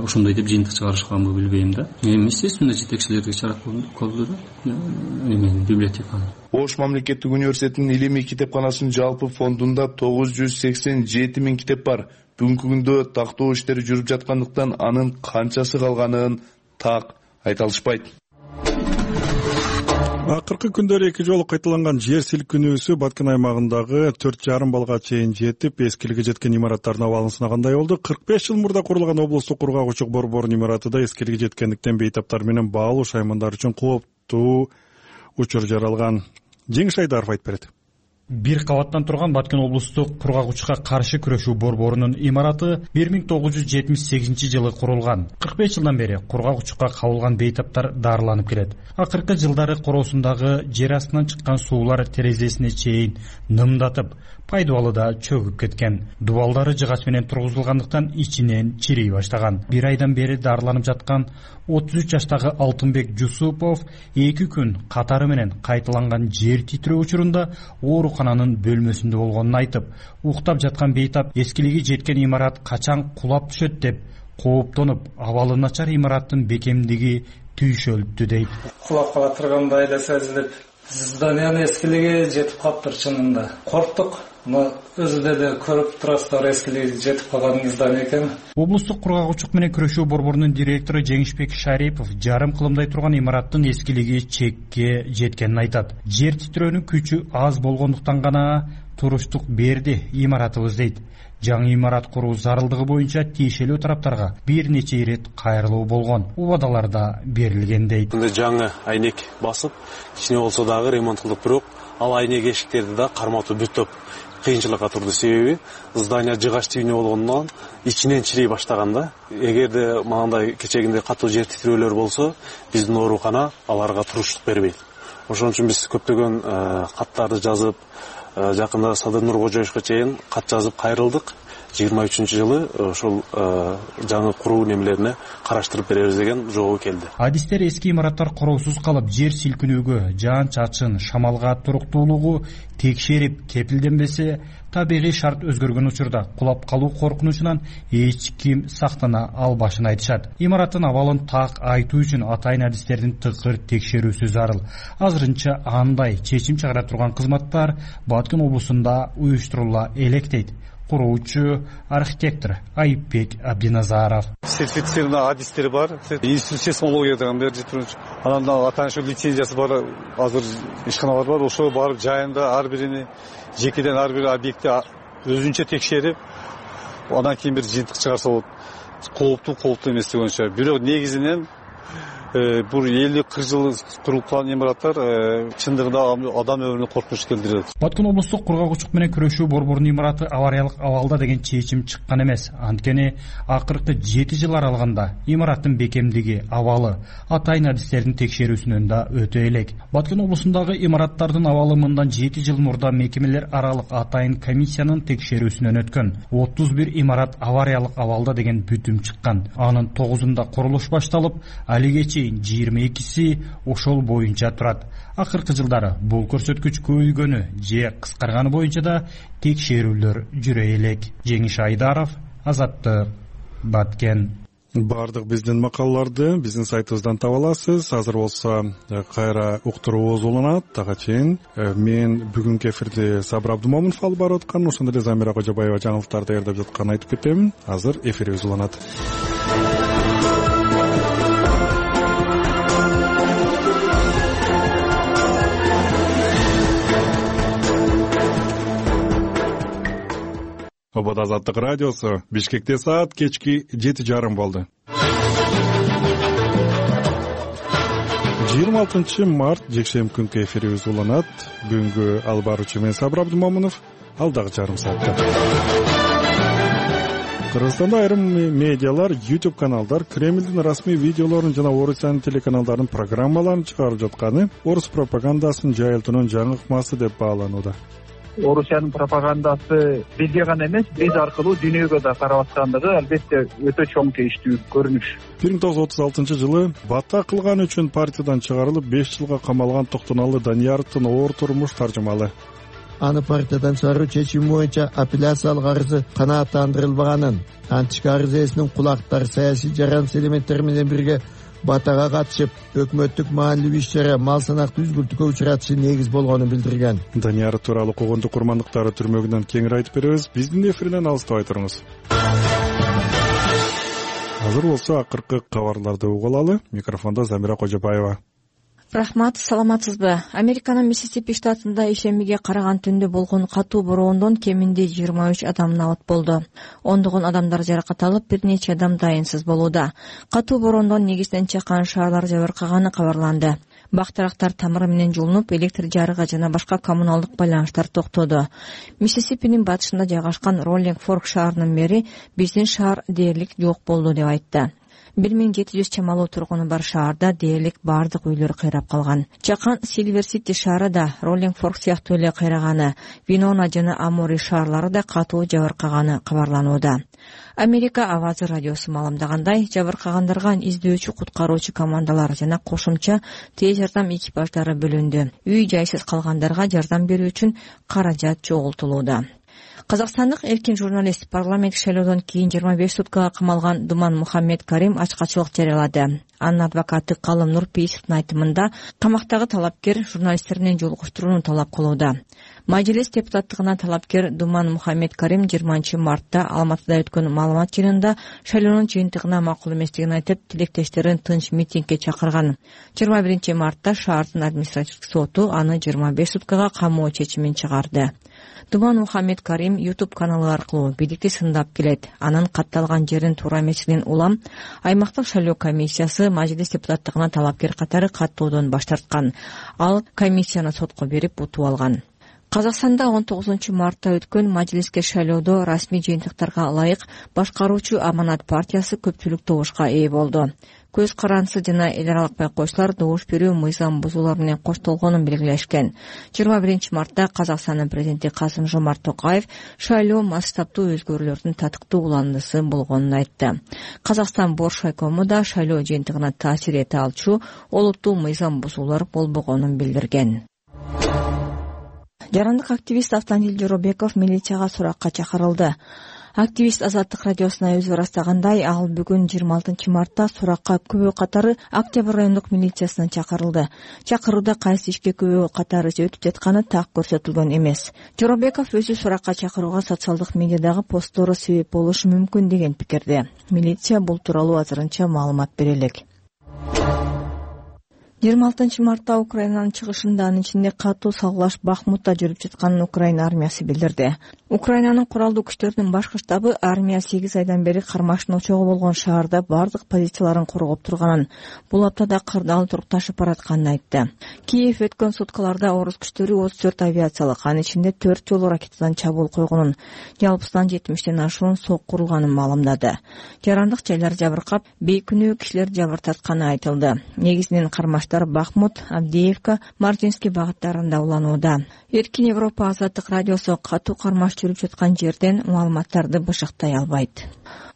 ушундай деп жыйынтык чыгарышканбы билбейм да. Эми естественно жетекчилерге чарат колду да. Эми библиотеканы. Ош мамлекеттик университетинин илимий китепканасынын жалпы фондунда тогуз жүз сексен жети миң китеп бар. Бүгүнкү күндө тактоо иштери жүрүп жаткандыктан анын канчасы калганын так айта алышпайт. Акыркы күндөрү эки жолу кайталанган жер силкинүүсү Баткен аймагындагы төрт жарым балга чейин жетип, эскилиги жеткен имараттардын абалын сынагандай болду. кырк беш жыл мурда курулган облустук кургагучулук борборунун имаратыда эскилиги жеткендиктен бейтаптар менен баалуу шаймандар үчүн кооптуу учур жаралган. Жеңиш Айдаров айтып берет. Бир кабаттан турган Баткен облустук кургагучка каршы күрөшүү борборунун имараты бир миң тогуз жүз жетимиш сегизинчи жылы курулган. кырк беш жылдан бери кургагучка кабылган бейтаптар дарыланып келет. Акыркы жылдары короосундагы жер астынан чыккан суулар терезесине чейин нымдатып, пайдубалы да чөгүп кеткен. Дубалдары жыгач менен тургузулгандыктан ичинен чирей баштаган. Бир айдан бери дарыланып жаткан отуз үч жаштагы Алтынбек Жусупов эки күн катары менен кайталанган жер титирөө учурунда оорукананын бөлмөсүндө болгонун айтып, уктап жаткан бейтап эскилиги жеткен имарат качан кулап түшөт деп кооптонуп, абалы начар имараттын бекемдиги түйшөлүптү дейт. Кулап кала тургандай эле сезилип, зданиянын эскилиги жетип калыптыр чынында. Корктук. Но өзүдө да көрүп турасыздар, эскилиги жетип калган здание экен. Облустук кургагучулук менен күрөшүү борборунун директору Жеңишбек Шарипов жарым кылымдай турган имараттын эскилиги чекке жеткенин айтат. Жер титирөөнүн күчү аз болгондуктан гана туруштук берди имаратыбыз дейт. Жаңы имарат куруу зарылдыгы боюнча тиешелүү тараптарга бир нече ирет кайрылуу болгон. Убадалар да берилген дейт. Жаңы айнек басып, кичине болсо дагы ремонт кылдык, бирок ал айнек эшиктерди да карматуу бүтөп кыйынчылыкка турду. Себеби здание жыгач тибине болгондон ичинен чирей баштаган да. Эгерде мындай кечегинде катуу жер титирөөлөр болсо, биздин оорукана аларга туруштук бербейт. Ошон үчүн биз көптөгөн каттарды жазып, жакында Садыр Нуркожоевичке чейин кат жазып кайрылдык. жыйырма үчүнчү жылы ошол жаңы куруу немелерине караштырып беребиз деген жообу келди. Адистер эски имараттар короосуз калып, жер силкинүүгө, жаан-чачын, шамалга туруктуулугу текшерип кепилденбесе, табигый шарт өзгөргөн учурда кулап калуу коркунучунан эч ким сактана албашын айтышат. Имараттын абалын так айтуу үчүн атайын адистердин тыкыр текшерүүсү зарыл. Азырынча андай чечим чыгара турган кызматтар Баткен облусунда уюштурула элек дейт куруучу архитектор Айыпбек Абдиназаров. Сертифицированный адистер бар, институт сейсмология деген бер жетирүүчү. Анан атаанчу лицензиясы бар, азыр ишканалар бар. Ошо барып жайында ар бирини жекеден ар бир объектти өзүнчө текшерип, анан кийин бир жыйынтык чыгарса болот. Кооптуу, кооптуу эмес дегенче. Бирок негизинен бул элүү кырк жыл курулуп калган имараттар чындыгында адам өмүрүнө коркунуч келтирет. Баткен облустук кургагучтук менен күрөшүү борборунун имараты авариялык абалда деген чечим чыккан эмес. Анткени акыркы жети жыл аралыгында имараттын бекемдиги, абалы атайын адистердин текшерүүсүнөн да өтө элек. Баткен облусундагы имараттардын абалы мындан жети жыл мурда мекемелер аралык атайын комиссиянын текшерүүсүнөн өткөн. отуз бир имарат авариялык абалда деген бүтүм чыккан. Анын тогузунда курулуш башталып, алиге чейин жыйырма экиси ошол боюнча турат. Акыркы жылдары бул көрсөткүч көбөйгөнү же кыскарганы боюнча да текшерүүлөр жүрө элек. Жеңиш Айдаров, Азаттык, Баткен. Бардык биздин макалаларды биздин сайтыбыздан таба аласыз. Азыр болсо кайра уктуруубуз уланат. Ага чейин мен бүгүнкү эфирди Сабыр Абдумомунов алып барып аткан, ошондой эле Замира Кожобаева жаңылыктарды даярдап жатканын айтып кетемин. Азыр эфирибиз уланат. Обод Азаттык радиосу. Бишкекте саат кечки жети жарым болду. жыйырма алтынчы март жекшемби күнкү эфирибиз уланат. Бүгүнкү алып баруучу мен Сабыр Абдумомунов. Алдагы жарым саатта Кыргызстанда айрым медиалар, YouTube каналдар Кремлдин расмий видеолорун жана Орусиянын телеканалдарынын программаларын чыгарып жатканы орус пропагандасынын жайылтуунун жаңы ыкмасы деп бааланууда. Орусиянын пропагандасы бизге гана эмес, биз аркылуу дүйнөгө да карап аткандыгы албетте өтө чоң тийиштүү көрүнүш. бир миң тогуз жүз отуз алтынчы жылы бата кылганы үчүн партиядан чыгарылып беш жылга камалган Токтоналы Данияровдун оор турмуш таржымалы. Аны партиядан чыгаруу чечими боюнча апелляциялык арызы канааттандырылбаганын, антички арыз ээсинин кулактары саясий жараныш элементтери менен бирге батага катышып, өкмөттүк маанилүү иш-чара мал санакты үзгүлтүккө учуратышы негиз болгонун билдирген. Данияров тууралуу когондук курмандыктары түрмөгүнөн кеңири айтып беребиз. Биздин эфирден алыстабай туруңуз. Азыр болсо акыркы кабарларды угуп алалы. Микрофондо Замира Кожобаева. Рахмат, саламатсызбы? Американын Миссисипи штатында ишембиге караган түндө болгон катуу бороондон кеминде жыйырма үч адам набат болду. Ондогон адамдар жаракат алып, бир нече адам дайынсыз болууда. Катуу бороондон негизден чакан шаарлар жабыркаганы кабарланды. Бактарактар тамыры менен жулунуп, электр жарыгы жана башка коммуналдык байланыштар токтоду. Миссисипинин батышында жайгашкан Роллинг Форк шаарынын мэри биздин шаар дээрлик жок болду деп айтты. бир миң жети жүз чамалуу тургуну бар шаарда дээрлик бардык үйлөр кыйрап калган. Чакан Сильвер Сити шаары да Роллинг Форк сыяктуу эле кыйраганы, Винона жана Амори шаарлары да катуу жабыркаганы кабарланууда. Америка Авазы радиосу маалымдагандай, жабыркагандарга издөөчү куткаруучу командалар жана кошумча тез жардам экипаждары бөлүндү. Үй жайсыз калгандарга жардам берүү үчүн каражат чогултулууда. Казакстандык эркин журналист парламент шайлоодон кийин жыйырма беш суткага камалган Думан Мухаммед Карим ачкачылык жарыялады. Анын адвокаты Калым Нурпейисовдун айтымында, камактагы талапкер журналисттер менен жолугуштурууну талап кылууда. Мажлис депутаттыгына талапкер Думан Мухаммед Карим жыйырманчы мартта Алматыда өткөн маалымат жыйынында шайлоонун жыйынтыгына макул эместигин айтып, тилектештерин тынч митингге чакырган. жыйырма биринчи мартта шаардын административдик соту аны жыйырма беш суткага камоо чечимин чыгарды. Думан Мухаммед Карим YouTube каналы аркылуу бийликти сындап келет. Анын катталган жерин туура эмесигинен улам аймактык шайлоо комиссиясы мажлис депутаттыгына талапкер катары каттоодон баш тарткан. Ал комиссияны сотко берип утуп алган. Казакстанда он тогузунчу мартта өткөн мажлиске шайлоодо расмий жыйынтыктарга ылайык башкаруучу Аманат партиясы көпчүлүк добушка ээ болду. Көз карансы жана эл аралык байкоочулар добуш берүү мыйзам бузуулар менен коштолгонун белгилешкен. жыйырма биринчи мартта Казакстандын президенти Касым-Жомарт Токаев шайлоо масштабтуу өзгөрүүлөрдүн татыктуу уландысы болгонун айтты. Казакстан Боршайкому да шайлоо жыйынтыгына таасир эте алчу олуттуу мыйзам бузуулар болбогонун билдирген. Жарандык активист Автандил Жоробеков милицияга суракка чакырылды. Активист Азаттык радиосуна өзү ырастагандай, ал бүгүн жыйырма алтынчы мартта суракка күбө катары Октябрь райондук милициясына чакырылды. Чакырууда кайсы ишке күбө катары өтүп жатканы так көрсөтүлгөн эмес. Жоробеков өзү суракка чакырууга социалдык медиадагы посттору себеп болушу мүмкүн деген пикирде. Милиция бул тууралуу азырынча маалымат бере элек. жыйырма алтынчы мартта Украинанын чыгышында, анын ичинде катуу салгылаш Бахмутта жүрүп жатканын Украина армиясы билдирди. Украинанын куралдуу күчтөрүнүн башкы штабы армия сегиз айдан бери кармаштын очогу болгон шаарда бардык позицияларын коргоп турганын, бул аптада кырдаал туруп ташып баратканын айтты. Киев өткөн суткаларда орус күчтөрү отуз төрт авиациялык, анын ичинде төрт жолу ракетадан чабуул койгонун, жалпысынан жетимиштен ашуун сок курулганын маалымдады. Жарандык жайлар жабыркап, бейкүнөө кишилер жабыртатканы айтылды. Негизинен кармаштар Бахмут, Авдеевка, Мартинский багыттарында уланууда. Эркин Европа азаттык радиосу катуу кармаш жүрүп жаткан жерден маалыматтарды бышыктай албайт.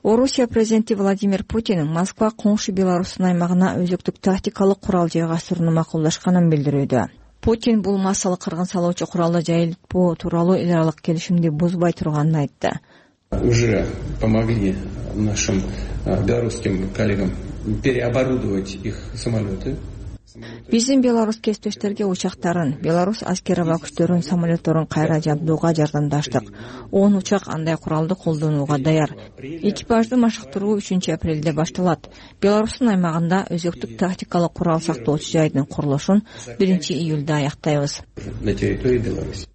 Орусия президенти Владимир Путин Москва коңшу Беларустун аймагына өзөктүк тактикалык курал жайгастырууну макулдашканын билдирүүдө. Путин бул массалык кыргын салуучу куралды жайылтпоо тууралуу эл аралык келишимди бузбай турганын айтты. Уже помогли нашим белорусским коллегам переоборудовать их самолеты. Биздин белорус кесиптештерге учактарын, белорус аскер-аба күчтөрүнүн самолетторун кайра жабдууга жардамдаштык. он учак андай куралды колдонууга даяр. Экипажды машыктыруу үчүнчү апрелде башталат. Белорустун аймагында өзөктүк тактикалык курал сактоочу жайдын курулушун биринчи июлда аяктайбыз, на территории Беларуси,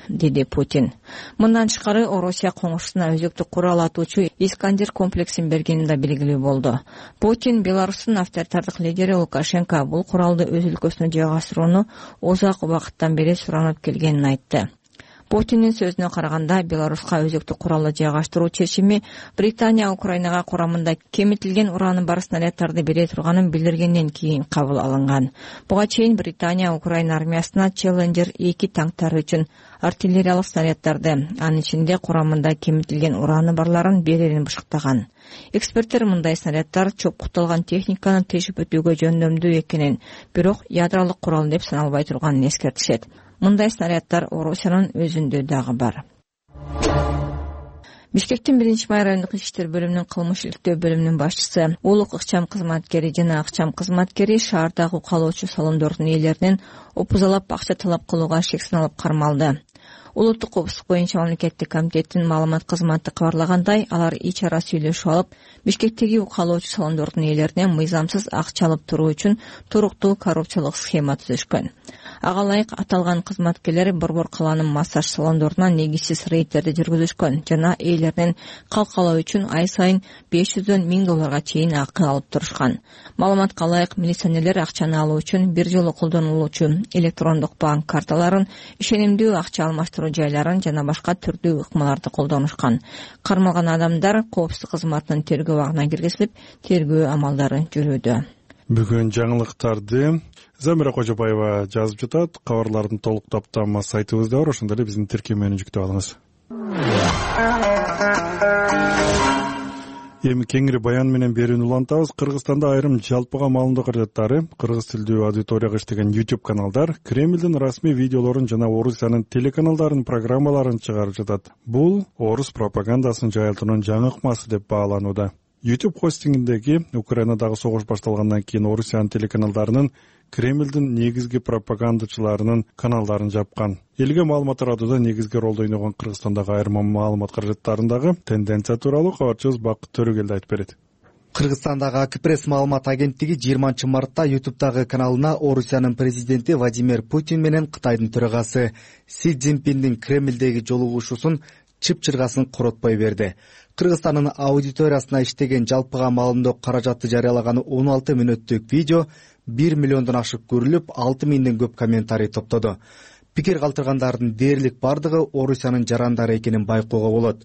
деди Путин. Мындан тышкары Орусия коңшусуна өзөктүк курал атуучу Искандер комплексин бергени да белгилүү болду. Путин Беларустун авторитардык лидери Лукашенко бул куралды өз өлкөсүнө жайгастырууну узак убакыттан бери суранып келгенин айтты. Путиндин сөзүнө караганда, Беларуска өзөктүк куралды жайгаштыруу чечими Британия Украинага курамында кемитилген ураны бар снаряддарды бере турганын билдиргенден кийин кабыл алынган. Буга чейин Британия Украина армиясына Челленджер эки танктары үчүн артиллериялык снаряддарды, анын ичинде курамында кемитилген ураны барларын берерин бышыктаган. Эксперттер мындай снаряддар чопкуталган техниканы тешип өтүүгө жөндөмдүү экенин, бирок ядролук курал деп саналбай турганын эскертишет. Мындай снаряддар Орусиянын өзүндө дагы бар. Бишкектин биринчи май райондук иштер бөлүмүнүн кылмыш иликтөө бөлүмүнүн башчысы, улук ыкчам кызматкери жана акчам кызматкери шаардагы калоочу салондордун ээлеринен опузалап акча талап кылууга шек саналып кармалды. Улуттук коопсуздук боюнча мамлекеттик комитеттин маалымат кызматы кабарлагандай, алар ич ара сүйлөшүп алып, Бишкектеги калоочу салондордун ээлеринен мыйзамсыз акча алып туруу үчүн туруктуу коррупциялык схема түзүшкөн. Ага ылайык аталган кызматкерлер Борбор калаанын массаж салондоруна негизсиз рейдтерди жүргүзүшкөн жана ээлеринен калкалоо үчүн ай сайын беш жүздөн миң долларга чейин акы алып турушкан. Маалыматка ылайык, милиционерлер акчаны алуу үчүн бир жолу колдонулуучу электрондук банк карталарын, ишенимдүү акча алмаштыруу жайларын жана башка түрдүү ыкмаларды колдонушкан. Кармалган адамдар коопсуздук кызматынын тергөө абагына киргизилип, тергөө амалдары жүрүүдө. Бүгүн жаңылыктарды Замира Кожобаева жазып жатат. Кабарлардын толук топтамасы сайтыбызда бар, ошондо эле биздин тиркемени жүктөп алыңыз. Эми кеңири баян менен берүүнү улантабыз. Кыргызстанда айрым жалпыга маалымдоо каражаттары, кыргыз тилдүү аудиторияга иштеген YouTube каналдар Кремлдин расмий видеолорун жана Орусиянын телеканалдарынын программаларын чыгарып жатат. Бул орус пропагандасын жайылтуунун жаңы ыкмасы деп бааланууда. YouTube хостингиндеги Украинадагы согуш башталгандан кийин Орусиянын телеканалдарынын Кремлдин негизги пропагандачыларынын каналдарын жапкан. Элге маалымат таратууда негизги ролду ойногон Кыргызстандагы айрым маалымат каражаттарындагы тенденция тууралуу кабарчыбыз Бакыт Төрөгелди айтып берет. Кыргызстандагы Акпресс маалымат агенттиги жыйырманчы мартта YouTube'дагы каналына Орусиянын президенти Владимир Путин менен Кытайдын төрагасы Си Цзиньпиндин Кремлдеги жолугушуусун чып-чыргасын коротпой берди. Кыргызстандын аудиториясына иштеген жалпыга маалымдоо каражаты жарыялаган он алты мүнөттүк видео бир миллиондон ашык көрүлүп, алты миңден көп комментарий топтоду. Пикир калтыргандардын дээрлик бардыгы Орусиянын жарандары экенин байкоого болот.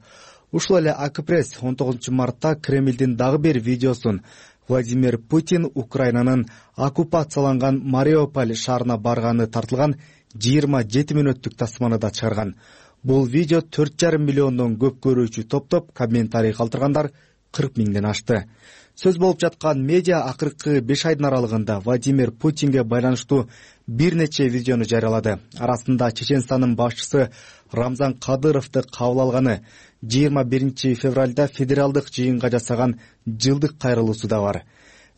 Ушул эле Акпресс он тогузунчу мартта Кремлдин дагы бир видеосун Владимир Путин Украинанын оккупацияланган Мариуполь шаарына барганы тартылган жыйырма жети мүнөттүк тасманы да чыгарган. Бул видео төрт жарым миллиондон көп көрүүчү топтоп, комментарий калтыргандар кырк миңден ашты. Сөз болуп жаткан медиа акыркы беш айдын аралыгында Владимир Путинге байланыштуу бир нече видеону жарыялады. Арасында Чеченстандын башчысы Рамзан Кадыровду кабыл алганы, жыйырма биринчи февралда федералдык жыйынга жасаган жылдык кайрылуусу да бар.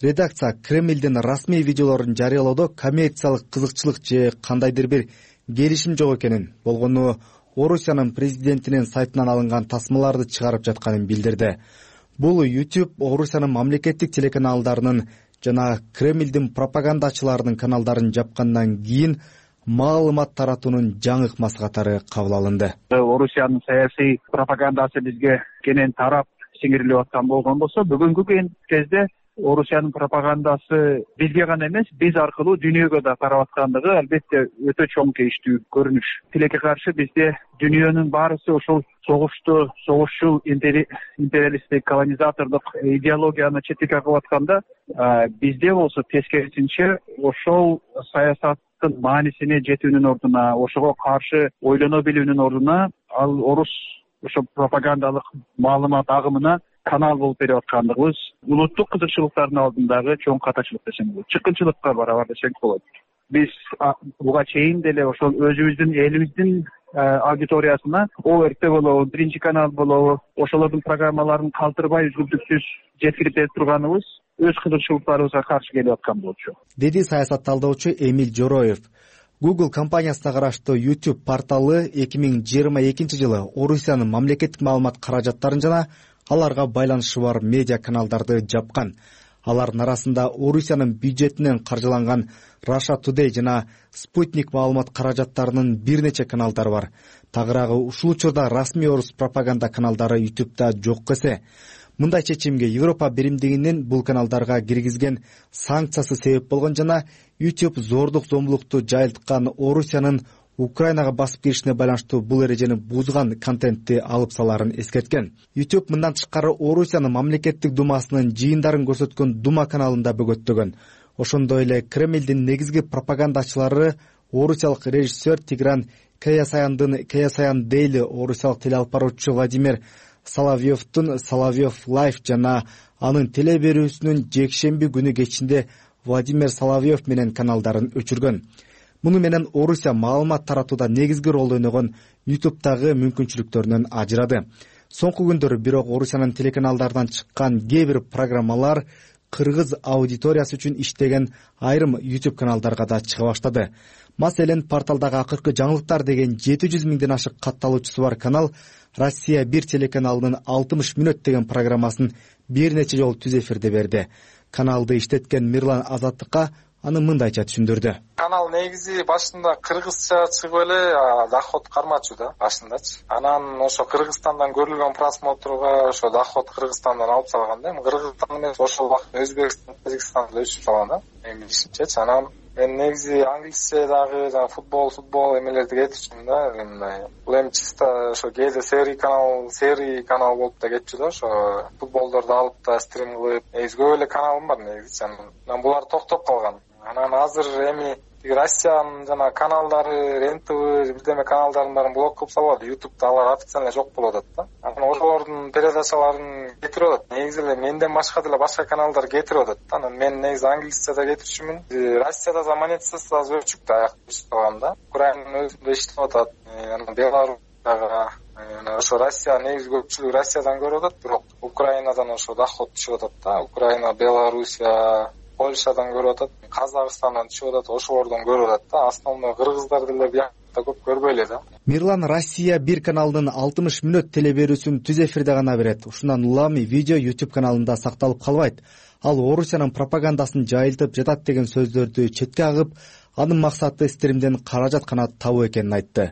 Редакция Кремлдин расмий видеолорун жарыялоодо коммерциялык кызыкчылык же кандайдыр бир келишим жок экенин, болгону Орусиянын президентинин сайтынан алынган тасмаларды чыгарып жатканын билдирди. Бул YouTube Орусиянын мамлекеттик телеканалдарынын жана Кремлдин пропагандачыларынын каналдарын жапкандан кийин маалымат таратуунун жаңы ыкмасы катары кабыл алынды. Орусиянын саясий пропагандасы бизге кенен тарап сиңирилип аткан болгон болсо, бүгүнкү кезде Орусиянын пропагандасы бизге гана эмес, биз аркылуу дүйнөгө да тарап аткандыгы албетте өтө чоң кейиштүү көрүнүш. Тилекке каршы бизде дүйнөнүн баарысы ушул согушту, согушчул империалисттик, колонизатордук идеологияны четке кагып атканда, бизде болсо тескерисинче ошол саясаттын маанисине жетүүнүн ордуна, ошого каршы ойлоно билүүнүн ордуна ал орус ошо пропагандалык маалымат агымына канал болуп берип аткандыгыбыз улуттук кызыкчылыктардын алдындагы чоң катачылык десем болот, чыккынчылыкка барабар десек болот. Биз буга чейин деле ошол өзүбүздүн элибиздин аудиториясына ОРТ болобу, биринчи канал болобу, ошолордун программаларын калтырбай үзгүлтүксүз жеткирип берип турганыбыз өз кызыкчылыктарыбызга каршы келип аткан болчу, деди саясат талдоочу Эмиль Жороев. Google компаниясына караштуу YouTube порталы эки миң жыйырма экинчи жылы Орусиянын мамлекеттик маалымат каражаттарын жана аларга байланышы бар медиа каналдарды жапкан. Алардын арасында Орусиянын бюджетинен каржыланган Russia Today жана Sputnik маалымат каражаттарынын бир нече каналдары бар. Тагыраагы ушул учурда расмий орус пропаганда каналдары YouTube'да жок эсе. Мындай чечимге Европа биримдигинин бул каналдарга киргизген санкциясы себеп болгон жана YouTube зордук зомбулукту жайылткан Орусиянын Украинага басып киришине байланыштуу бул эрежени бузган контентти алып салаарын эскерткен. YouTube мындан тышкары Орусиянын мамлекеттик думасынын жыйындарын көрсөткөн Дума каналын да бөгөттөгөн. Ошондой эле Кремлдин негизги пропагандачылары орусиялык режиссер Тигран Каясаяндын Каясаян Дейли, орусиялык телеалып баруучу Владимир Соловьевдун Соловьев Лайф жана анын теле берүүсүнүн жекшемби күнү кечинде Владимир Соловьев менен каналдарын өчүргөн. Муну менен Орусия маалымат таратууда негизги ролду ойногон YouTube'дагы мүмкүнчүлүктөрүнөн ажырады. Соңку күндөрү бирок Орусиянын телеканалдарынан чыккан кээ бир программалар кыргыз аудиториясы үчүн иштеген айрым YouTube каналдарга да чыга баштады. Маселен, порталдагы акыркы жаңылыктар деген жети жүз миңден ашык катталуучусу бар канал Россия бир телеканалынын алтымыш мүнөт деген программасын бир нече жолу түз эфирде берди. Каналды иштеткен Мирлан Азаттыкка аны мындайча түшүндүрдү. Канал негизи башында кыргызча чыгып эле доход кармачу да башындачы. Анан ошо Кыргызстандан көрүлгөн просмотрга ошо доход Кыргызстандан алып салган да. Кыргызстан эмес, ошол убакта Өзбекстан, Тажикстанда өчүп салган да. Эми ишинчечи. Анан мен негизи англисчедагы жана футбол, футбол эмелерди кетчүмүн да. Мындай. Бул эми чисто ошо кээде серий канал, серий канал болуп да кетчү да. Ошо футболдорду алып да стрим кылып, негизи көп эле каналым бар негизи. Анан булар токтоп калган. Анан азыр эми Россиянын жана каналдары, РЕН-ТВ, бирдеме каналдарын баарын блок кылып салып, YouTube'да алар официально жок болуп атат да. Анан ошолордун передачаларын кетирип атат. Негизи эле менден башка деле башка каналдар кетирип атат да. Анан мен негизи англисчеда кетирчүмүн. Россияда да монетизация аз өчүк да, аяк иштеп да. Украинанын өзүндө иштеп атат. Анан Беларусьтагы анан ошо Россия негизи көпчүлүк Россиядан көрүп атат, бирок Украинадан ошо доход түшүп атат да. Украина, Белоруссия, Польшадан көрүп атат, Казакстандан түшүп атат, ошолордон көрүп атат да. Основной кыргыздар деле биякта көп көрбөй эле да. Мирлан Россия бир каналынын алтымыш мүнөт теле берүүсүн түз эфирде гана берет. Ушундан улам видео YouTube каналында сакталып калбайт. Ал Орусиянын пропагандасын жайылтып жатат деген сөздөрдү четке агып, анын максаты стримден каражат гана табуу экенин айтты.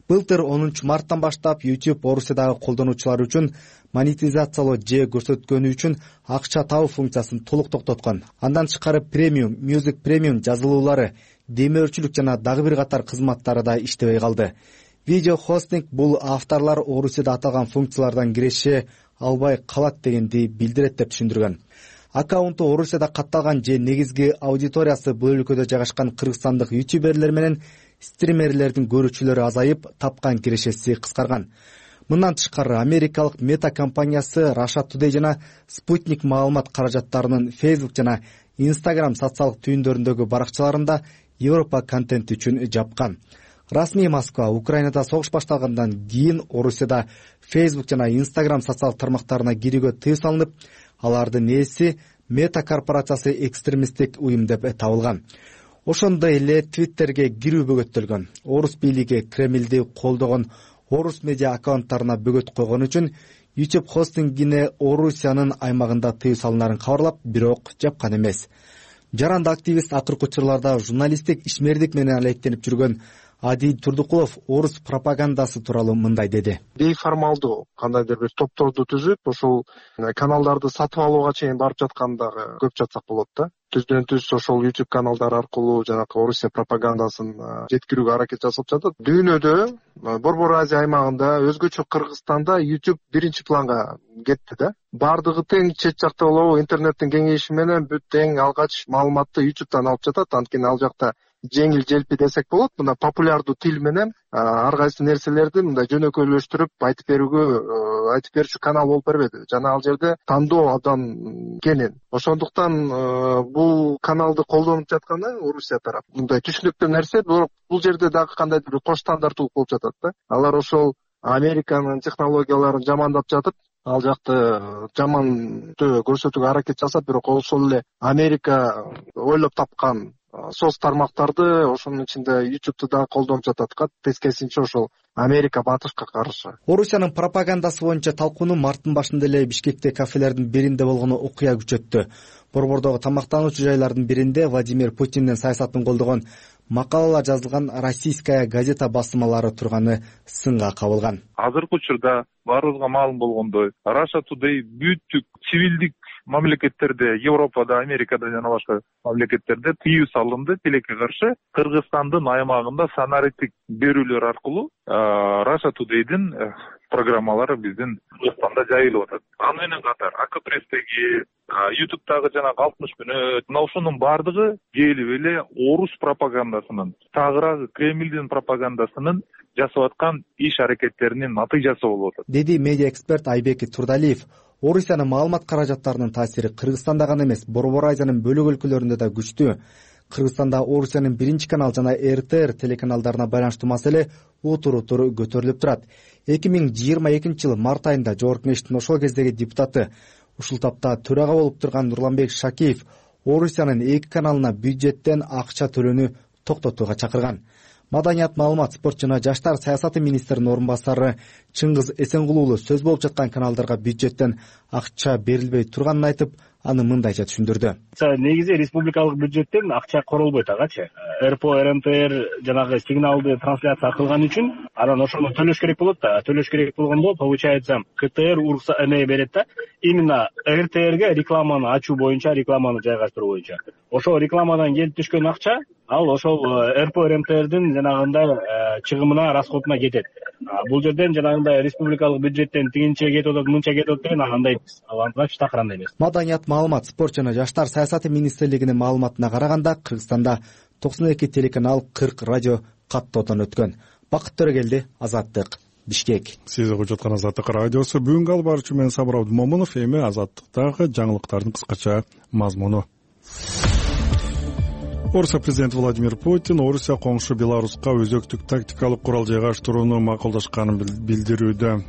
Былтыр онунчу марттан баштап YouTube Орусиядагы колдонуучулар үчүн монетизациялоо же көрсөткөнү үчүн акча табуу функциясын толук токтоткон. Андан тышкары премиум, Music Premium жазылуулары, демөөрчүлүк жана дагы бир катар кызматтары да иштебей калды. Видео хостинг бул авторлор Орусияда аталган функциялардан киреше албай калат дегенди билдирет деп түшүндүргөн. Аккаунту Орусияда катталган же негизги аудиториясы бул өлкөдө жайгашкан кыргызстандык ютуберлер менен стримерлердин көрүүчүлөрү азайып, тапкан кирешеси кыскарган. Мындан тышкары америкалык Мета компаниясы Russia Today жана Sputnik маалымат каражаттарынын Facebook жана Instagram социалдык түйүндөрүндөгү баракчаларында Европа контенти үчүн жапкан. Расмий Москва Украинада согуш башталгандан кийин Орусияда Facebook жана Instagram социалдык тармактарына кирүүгө тыюу салынып, алардын ээси Мета корпорациясы экстремисттик уюм деп табылган. Ошондой эле Twitterге кирүү бөгөттөлгөн. Орус бийлиги Кремлди колдогон орус медиа аккаунттарына бөгөт койгон үчүн YouTube хостингине Орусиянын аймагында тыюу салынарын кабарлап, бирок жапкан эмес. жаранды активист акыркы учурларда журналисттик ишмердик менен алектенип жүргөн Адил Турдукулов орус пропагандасы тууралуу мындай деди. Бейформалдуу кандайдыр бир топторду түзүп, ошол каналдарды сатып алууга чейин барып жаткандагы көп жатсак болот да. Түздөн түз ошол YouTube каналдар аркылуу жанакы Орусия пропагандасын жеткирүүгө аракет жасап жатат. Дүйнөдө Борбор Азия аймагында, өзгөчө Кыргызстанда YouTube биринчи планга кетти да. Бардыгы тең чет жакта болобу, интернеттин кеңейиши менен бүт тең алгач маалыматты YouTube'дан алып жатат. Анткени ал жакта жеңил желпи десек болот. Мына популярдуу тил менен ар кайсы нерселерди мындай жөнөкөйлөштүрүп айтып берүүгө айтып берүүчү канал болуп бербеди. Жана ал жерде тандоо абдан кенен. Ошондуктан бул каналды колдонуп жатканы Орусия тарап. Мындай түшүнүктүү нерсе, бирок бул жерде дагы кандайдыр бир кош стандарттуулук болуп жатат да. Алар ошол Американын технологияларын жамандап жатып, ал жакты жаман көрсөтүүгө аракет жасап, бирок ошол эле Америка ойлоп тапкан соц тармактарды ошонун ичинде YouTube'ду да колдонуп жатат. Тескерисинче ошол Америка батышка каршы. Орусиянын пропагандасы боюнча талкууну марттын башында эле Бишкекте кафелердин биринде болгону окуя күчөттү. Борбордогу тамактануучу жайлардын биринде Владимир Путиндин саясатын колдогон макалалар жазылган Российская газета басылмалары турганы сынга кабылган. Азыркы учурда баарыбызга маалым болгондой, Russia Today бүттүк цивилдик мамлекеттерде, Европада, Америкада жана башка мамлекеттерде тыюу салынды тилекке каршы. Кыргызстандын аймагында санариттик берүүлөр аркылуу Russia Today'дин программалары биздин Кыргызстанда жайылып атат. Аны менен катар Акпресстеги, YouTube'дагы жана алтымыш мүнөт, мына ушунун баардыгы келип эле орус пропагандасынын, тагыраагы Кремлдин пропагандасынын жасап аткан иш аракеттеринин натыйжасы болуп атат, деди медиа эксперт Айбек Турдалиев. Орусиянын маалымат каражаттарынын таасири Кыргызстанда гана эмес, Борбор Азиянын бөлөк өлкөлөрүндө да күчтүү. Кыргызстанда Орусиянын биринчи канал жана эр тэ эр телеканалдарына байланыштуу маселе утур-утур көтөрүлүп турат. эки миң жыйырма экинчи жылы март айында Жогорку Кеңештин ошол кездеги депутаты, ушул тапта төрага болуп турган Нурланбек Шакиев Орусиянын эки каналына бюджеттен акча төлөөнү токтотууга чакырган. Маданият, маалымат, спорт жана жаштар саясаты министринин орун басары Чыңгыз Эсенгул уулу сөз болуп жаткан каналдарга бюджеттен акча берилбей турганын айтып, аны мындайча түшүндүрдү. Негизи республикалык бюджеттен акча королбойт агачы. эр пэ о, эр эм тэ эр жанагы сигналды трансляция кылган үчүн анан ошону төлөш керек болот да. Төлөш керек болгондо получается ка тэ эр урукса эме берет да. Именно эр тэ эрге рекламаны ачуу боюнча, рекламаны жайгаштыруу боюнча. Ошол рекламадан келип түшкөн акча ал ошол эр пэ о, эр эм тэ эрдин жанагындай чыгымына, расходуна кетет. Бул жерден жанагындай республикалык бюджеттен тигинче кетип атат, мынча кетип атат деген андай ал андыч такырандай эмес. Маданият, маалымат, спорт жана жаштар саясаты министрлигинин маалыматына караганда Кыргызстанда токсон эки телеканал, кырк радио каттоодон өткөн. Бакыт Төрөгелди, Азаттык, Бишкек. Сиз угуп жаткан Азаттык радиосу. Бүгүнкү алып баруучу мен Сабыр Абдымомунов. Эми Азаттыктагы жаңылыктардын кыскача мазмуну. Орусия президенти Владимир Путин Орусия коңшу Беларуска өзөктүк тактикалык курал жайгаштырууну макулдашканын билдирүүдө.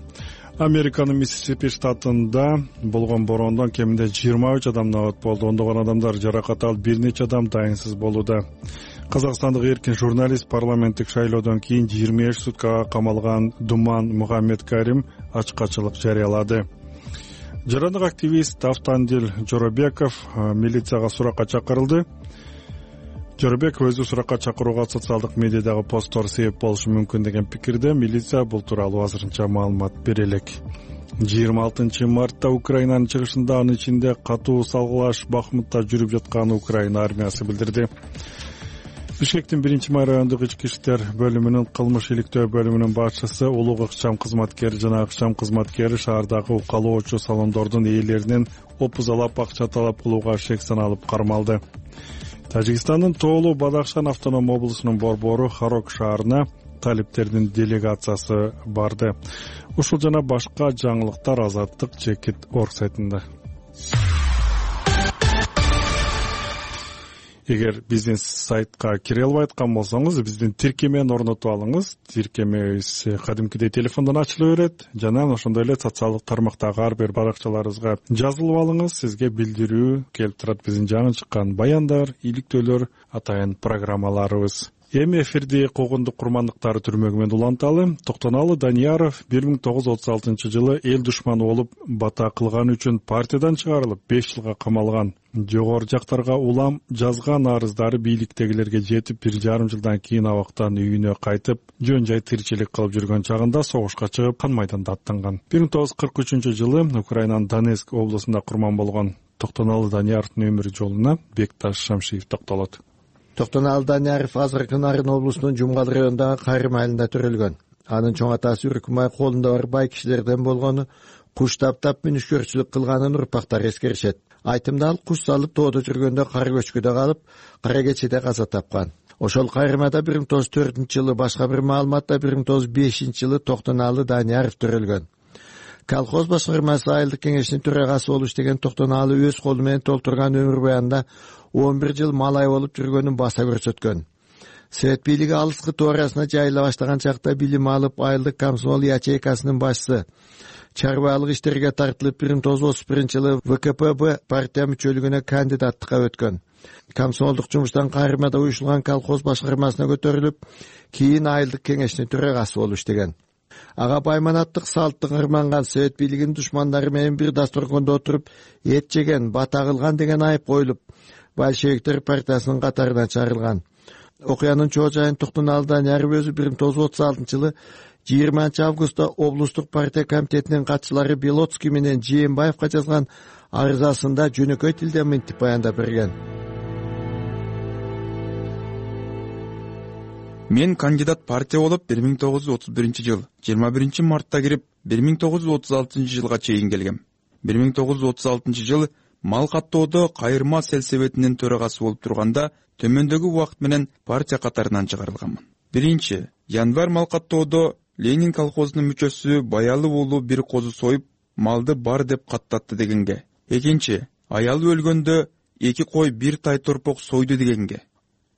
Американын Миссисипи штатында болгон бороондон кеминде жыйырма үч адам набат болду. Ондогон адамдар жаракат алып, бир нече адам дайынсыз болууда. Казакстандык эркин журналист парламенттик шайлоодон кийин жыйырма беш суткага камалган Думан Мухаммедкарим ачкачылык жарыялады. Жарандык активист Автандил Жоробеков милицияга суракка чакырылды. Жоробеков өзү суракка чакырууга социалдык медиадагы посттор себеп болушу мүмкүн деген пикирде. Милиция бул тууралуу азырынча маалымат бере элек. жыйырма алтынчы мартта Украинанын чыгышында, анын ичинде катуу салгылаш Бахмутта жүрүп жатканын Украина армиясы билдирди. Бишкектин биринчи май райондук ички иштер бөлүмүнүн кылмыш иликтөө бөлүмүнүн башчысы, улуг ыкчам кызматкери жана ыкчам кызматкери шаардагы укалоочу салондордун ээлеринен опузалап акча талап кылууга шек саналып кармалды. Тажикстандын Тоолу Бадахшан автоном облусунун борбору Харок шаарына талиптердин делегациясы барды. Ушул жана башка жаңылыктар Азаттык Чекит орг сайтында. Эгер биздин сайтка кире албай аткан болсоңуз, биздин тиркемени орнотуп алыңыз. Тиркемебиз кадимкидей телефондон ачыла берет. Жана ошондой эле социалдык тармактагы ар бир баракчаларыбызга жазылып алыңыз. Сизге билдирүү келип турат, биздин жаңы чыккан баяндар, иликтөөлөр, атайын программаларыбыз. Эми эфирди Когондук курмандыктары түрмөгү менен уланталы. Токтоналы Данияров бир миң тогуз жүз отуз алтынчы жылы эл душманы болуп бата кылганы үчүн партиядан чыгарылып беш жылга камалган. Жогору жактарга улам жазган арыздары бийликтегилерге жетип, бир жарым жылдан кийин абактан үйүнө кайтып, жөн жай тиричилик кылып жүргөн чагында согушка чыгып, кан майданда аттанган. бир миң тогуз жүз кырк үчүнчү жылы Украинанын Донецк облусунда курман болгон Токтоналы Данияровдун өмүр жолуна Бекташ Шамшиев токтолот. Токтоналы Данияров азыркы Нарын облусунун Жумгал районундагы Кайрым айылында төрөлгөн. Анын чоң атасы Үркүмай колунда бар бай кишилерден болгону, куш таптап мүнүшкөрчүлүк кылганын урпактар эскеришет. Айтымда ал куш салып тоодо жүргөндө кар көчкүдө калып, кара кечеде каза тапкан. Ошол Кайрымада бир миң тогуз жүз төртүнчү жылы, башка бир маалыматта бир миң тогуз жүз бешинчи жылы Токтоналы Данияров төрөлгөн. Колхоз башкармасы айылдык кеңешинин төрагасы болуш деген Токтоналы өз колу менен толтурган өмүр баянында он бир жыл малай болуп жүргөнүн баса көрсөткөн. Совет бийлиги алыскы тоо арасына жайыла баштаган чакта билим алып, айылдык комсомол ячейкасынын башчысы, чарбалык иштерге тартылып, бир миң тогуз жүз отуз биринчи жылы вэ ка пэ бэ партия мүчөлүгүнө кандидаттыкка өткөн. Комсомолдук жумуштан Кайрымада уюшулган колхоз башкармасына көтөрүлүп, кийин айылдык кеңешинин төрагасы болуп иштеген. Ага байманаттык салттык ырманган, совет бийлигинин душмандары менен бир дасторкондо отуруп эт жеген, бата кылган деген айып коюлуп, большевиктер партиясынын катарынан чыгарылган. Окуянын чоо жайын Токтоналы Данияров өзү бир миң тогуз жүз отуз алтынчы жылы жыйырманчы августта облустук партия комитетинин катчылары Белоцкий менен Жээнбаевка жазган арызасында жөнөкөй тилде мынтип баяндап берген. Мен кандидат партия болуп бир миң тогуз жүз отуз биринчи жыл жыйырма биринчи мартта кирип, бир миң тогуз жүз отуз алтынчы жылга чейин келгем. бир миң тогуз жүз отуз алтынчы жылы мал каттоодо Кайырма селсебетинин төрагасы болуп турганда төмөндөгү убакыт менен партия катарынан чыгарылганмын. Биринчи, январь мал каттоодо Ленин колхозунун мүчөсү Баялы уулу бир козу союп, малды бар деп каттатты дегенге. Экинчи, аялы өлгөндө эки кой бир тай торпок сойду дегенге.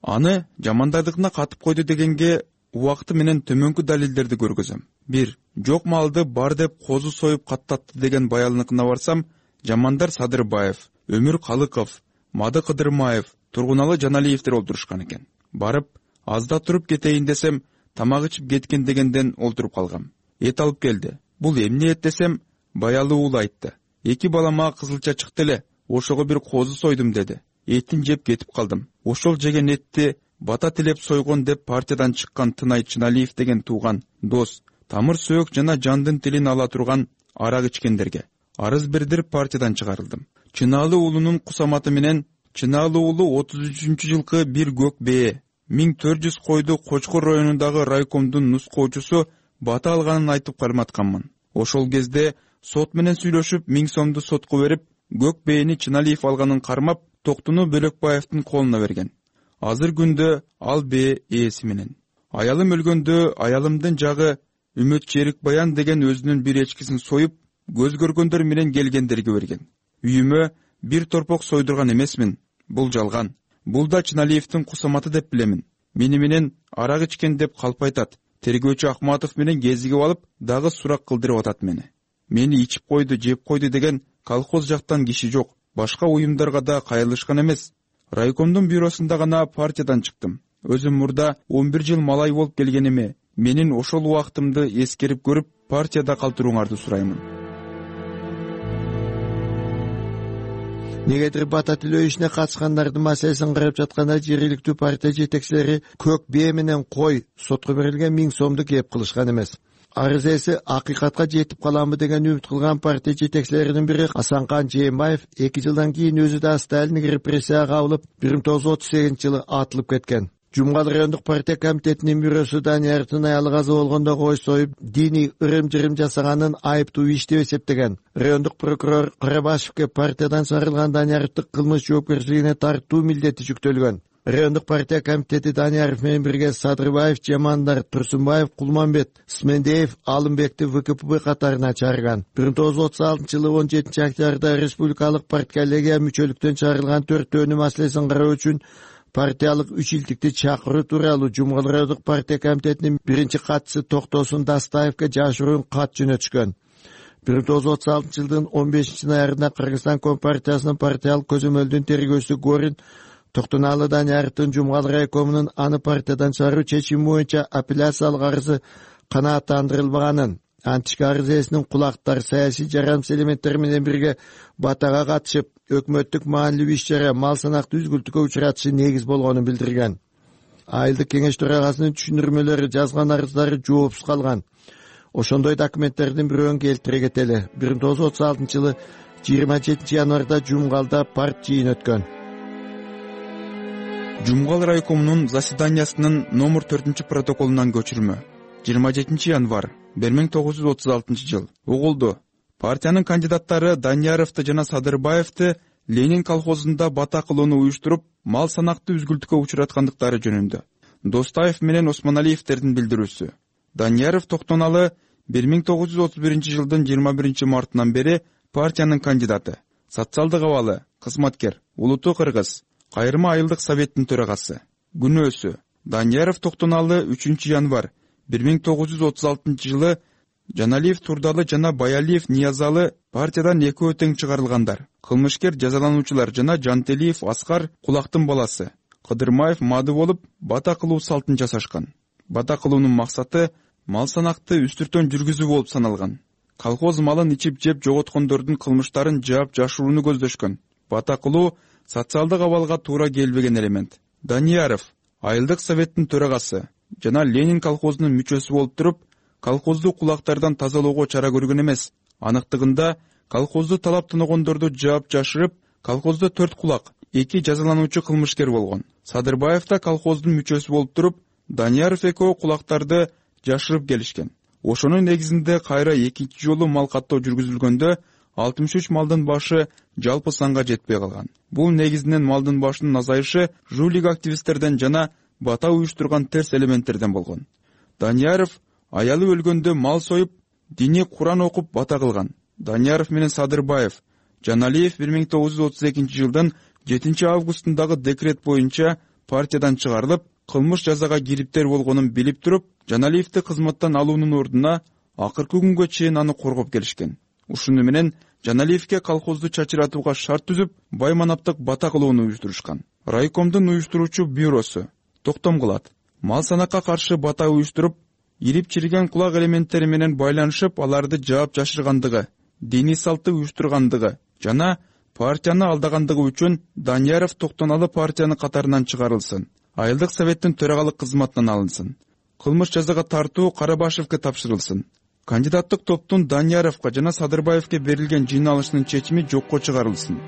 Аны жамандардыгына катып койду дегенге убакыты менен төмөнкү далилдерди көргөзөм. бир. Жок малды бар деп козу союп каттатты деген Баялыныкына барсам, Жамандар Садырбаев, Өмүр Калыков, Мады Кыдырмаев, Тургуналы Жаналиевдер олтурушкан экен. Барып, азда туруп кетейин десем, тамак ичип кеткен дегенден олтуруп калгам. Эт алып келди. Бул эмне эт десем, Баялы уул айтты. Эки балама кызылча чыкты эле, ошого бир козу сойдум деди. Этин жеп кетип калдым. Ошол жеген этти бата тилеп сойгон деп партиядан чыккан Тынай Чыналиев деген тууган, дос, тамыр сөөк жана жандын тилин ала турган арак ичкендерге арыз бердирип партиядан чыгарылдым. Чынаалы уулунун кусаматы менен Чынаалы уулу отуз үчүнчү жылкы бир көк бээ миң төрт жүз койду Кочкор районундагы райкомдун нускоочусу бата алганын айтып карматканмын. Ошол кезде сот менен сүйлөшүп миң сомду сотко берип, көк бээни Чыналиев алганын кармап, Токтуну Бөлөкбаевдин колуна берген. Азыр күндө ал бээ ээси менен. Аялым өлгөндө аялымдын жагы Үмөт Черикбаян деген өзүнүн бир эчкисин союп, көз көргөндөр менен келгендерге берген. Үйүмө бир торпок сойдурган эмесмин. Бул жалган. Бул да Чыналиевдин кусаматы деп билемин. Мени менен арак ичкен деп калп айтат. Тергөөчү Акматов менен кезигип алып, дагы сурак кылдырып атат мени. Мени ичип койду, жеп койду деген колхоз жактан киши жок. Башка уюмдарга да кайрылышкан эмес. Райкомдун бюросунда гана партиядан чыктым. Өзүм мурда он бир жыл малай болуп келгениме, менин ошол убактымды эскерип көрүп, партияда калтырууңарды сураймын. Негедир бата тилөө ишине катышкандардын маселесин карап жатканда жергиликтүү партия жетекчилери көк бээ менен кой сотко берилген миң сомду кеп кылышкан эмес. Арыз ээси акыйкатка жетип каламбы деген үмүт кылган партия жетекчилеринин бири Асанкан Жээнбаев эки жылдан кийин өзү да Сталиндик репрессияга кабылып, бир миң тогуз жүз отуз сегизинчи жылы атылып кеткен. Жумгал райондук партия комитетинин бюросу Данияровдун аялы каза болгондо кой союп, диний ырым-жырым жасаганын айыптуу иш деп эсептеген. Райондук прокурор Карабашевке партиядан чыгарылган Данияровду кылмыш жоопкерчилигине тартуу милдети жүктөлгөн. Райондук партия комитети Данияров менен бирге Садырбаев, Жамандар, Турсунбаев, Кулманбет, Смендеев, Алымбекти вэ ка пэ бэ катарына чыгарган. бир миң тогуз жүз отуз алтынчы жылы он жетинчи октябрда республикалык партколлегия мүчөлүктөн чыгарылган төртөөнүн маселесин кароо үчүн партиялык үч илтикти чакыруу тууралуу Жумгал райондук партия комитетинин биринчи катчысы Токтосун Дастаевке жашыруун кат жөнөтүшкөн. бир миң тогуз жүз отуз алтынчы жылдын он бешинчи ноябрында Кыргызстан Компартиясынын партиялык көзөмөлдүн тергөөчүсү Горин Токтоналуу Данияровдун Жумгал райкомунун аны партиядан чыгаруу чечими боюнча апелляциялык арызы канааттандырылбаганын, антички арыз ээсинин кулактар саясий жарандык элементтер менен бирге батага катышып, өкмөттүк маанилүү иш-чара мал санакты үзгүлтүккө учуратышы негиз болгонун билдирген. Айылдык кеңеш төрагасынын түшүндүрмөлөрү жазган арыздары жоопсуз калган. Ошондой документтердин бирөөн келтире кетели. бир миң тогуз жүз отуз алтынчы жылы жыйырма жетинчи январда Жумгалда парт жыйын өткөн. Жумгал райкомунун заседаниясынын номер төртүнчү протоколунан көчүрмө. жыйырма жетинчи январ бир миң тогуз жүз отуз алтынчы жыл. Угулду. Партиянын кандидаттары Данияровду жана Садырбаевди Ленин колхозунда бата кылууну уюштуруп, мал санакты үзгүлтүккө учураткандыктары жөнүндө. Достаев менен Осмоналиевдердин билдирүүсү. Данияров Токтоналы бир миң тогуз жүз отуз биринчи жылдын жыйырма биринчи мартынан бери партиянын кандидаты, социалдык абалы, кызматкер, улуттуу кыргыз, кайрма айылдык советтин төрагасы. Күнөөсү: Данияров Токтоналы үчүнчү январ бир миң тогуз жүз отуз алтынчы жылы Жаналиев Турдалы жана Баялиев Ниязалы партиядан экөө тең чыгарылгандар. Кылмышкер жазалануучулар жана Жантелиев Аскар Кулактын баласы, Кыдырмаев Мады болуп, бата кылуу салтын жасашкан. Бата кылуунун максаты мал санакты үстүртөн жүргүзүү болуп саналган. Колхоз малын ичип жеп жоготкондордун кылмыштарын жаап жашырууну көздөшкөн. Бата кылуу социалдык абалга туура келбеген элемент. Данияров айылдык советтин төрагасы жана Ленин колхозунун мүчөсү болуп туруп, колхозду кулактардан тазалоого чара көргөн эмес. Аныктыгында колхозду талап тоногондорду жаап жашырып, колхоздо төрт кулак, эки жазалануучу кылмышкер болгон. Садырбаев да колхоздун мүчөсү болуп туруп, Данияров экөө кулактарды жашырып келишкен. Ошонун негизинде кайра экинчи жолу мал каттоо жүргүзүлгөндө алтымыш үч малдын башы жалпы санга жетпей калган. Бул негизинен малдын башынын азайышы жулик активисттерден жана бата уюштурган терс элементтерден болгон. Данияров аялы өлгөндө мал союп, диний Куран окуп бата кылган. Данияров менен Садырбаев, Жаналиев бир миң тогуз жүз отуз экинчи жылдын жетинчи августундагы декрет боюнча партиядан чыгарылып, кылмыш жазага кириптер болгонун билип туруп, Жаналиевди кызматтан алуунун ордуна акыркы күнгө чейин аны коргоп келишкен. Ушуну менен Жаналиевге колхозду чачыратууга шарт түзүп, байманаптык бата кылууну уюштурушкан. Райкомдун уюштуруучу бюросу токтом кылат. Мал санакка каршы бата уюштуруп, ирип чирген кулак элементтери менен байланышып, аларды жаап жашыргандыгы, диний салтты уюштургандыгы жана партияны алдагандыгы үчүн Данияров Токтоналы партиянын катарынан чыгарылсын. Айылдык советтин төрагалык кызматынан алынсын. Кылмыш жазага тартуу Карабашевке тапшырылсын. Кандидаттык топтун Данияровго жана Садырбаевге берилген жыйналышынын чечими жокко чыгарылсын.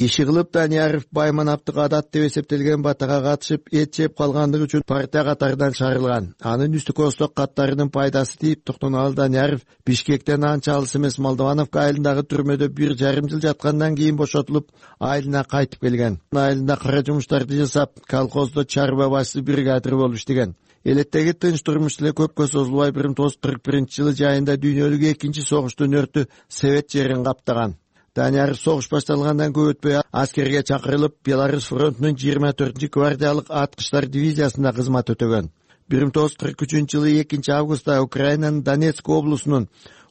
Иши кылып Данияров байманаптык адат деп эсептелген батага катышып, эт жеп калгандыгы үчүн партия катарынан чыгарылган. Анын үстү косток каттарынын пайдасы тийип, Токтоналы Данияров Бишкектен анча алыс эмес Молдовановка айылындагы түрмөдө бир жарым жыл жаткандан кийин бошотулуп, айылына кайтып келген. Айылында кара жумуштарды жасап, колхоздо чарба башчысы бригадир болуп иштеген. Элеттеги тынч турмуш эле көпкө созулбай бир миң тогуз жүз кырк биринчи жылы жайында дүйнөлүк экинчи согуштун өртү Совет жерин каптаган. Данияров согуш башталгандан көп өтпөй аскерге чакырылып, Беларусь фронтунун жыйырма төртүнчү гвардиялык аткычтар дивизиясында кызмат өтөгөн. бир миң тогуз жүз кырк үчүнчү жылы экинчи августта Украинанын Донецк облусунун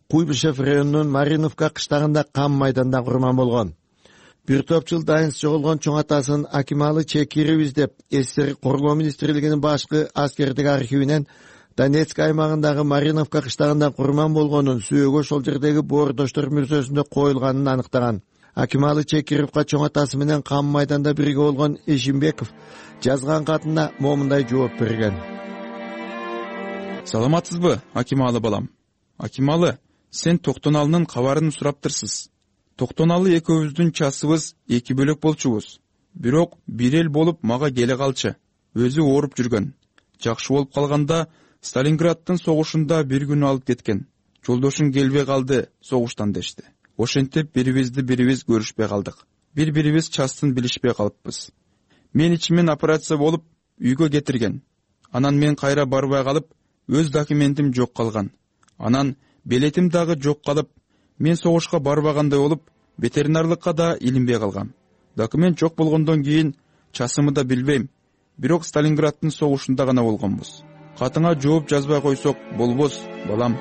Куйбышев районунун Мариновка кыштагында кам майданда курман болгон. Бир топ жыл дайынсыз жоголгон чоң атасын Акималы Чекиров издеп, СССР Коргоо министрлигинин башкы аскердик архивинен Донецк аймагындагы Мариновка кыштагында курман болгонун, сүйөгү ошол жердеги боордоштор мүрзөсүндө коюлганын аныктаган. Акималы Чекировго чоң атасы менен кам майданда бирге болгон Эшимбеков жазган катында момундай жооп берген. Саламатсызбы, Акималы балам? Акималы, сен Токтоналынын кабарын сураптырсыз. Токтоналы экөөбүздүн часыбыз эки бөлөк болчубуз. Бирок бир эл болуп мага келе калчы. Өзү ооруп жүргөн. Жакшы болуп калганда Сталинграддын согушунда бир күн алып кеткен. Жолдошуң келбей калды согуштан дешти. Ошентип бирибизди бирибиз көрүшпөй калдык. Бири-бирибиз частын билишпей калыппыз. Мен ичимен операция болуп үйгө кетирген. Анан мен кайра барбай калып, өз документим жок калган. Анан билетим дагы жок калып, мен согушка барбагандай болуп, ветеринарлыкка да илинбей калгам. Документ жок болгондон кийин часымы да билбейм. Бирок Сталинграддын согушунда гана болгонбуз. Катыңа жооп жазбай койсок болбос, балам.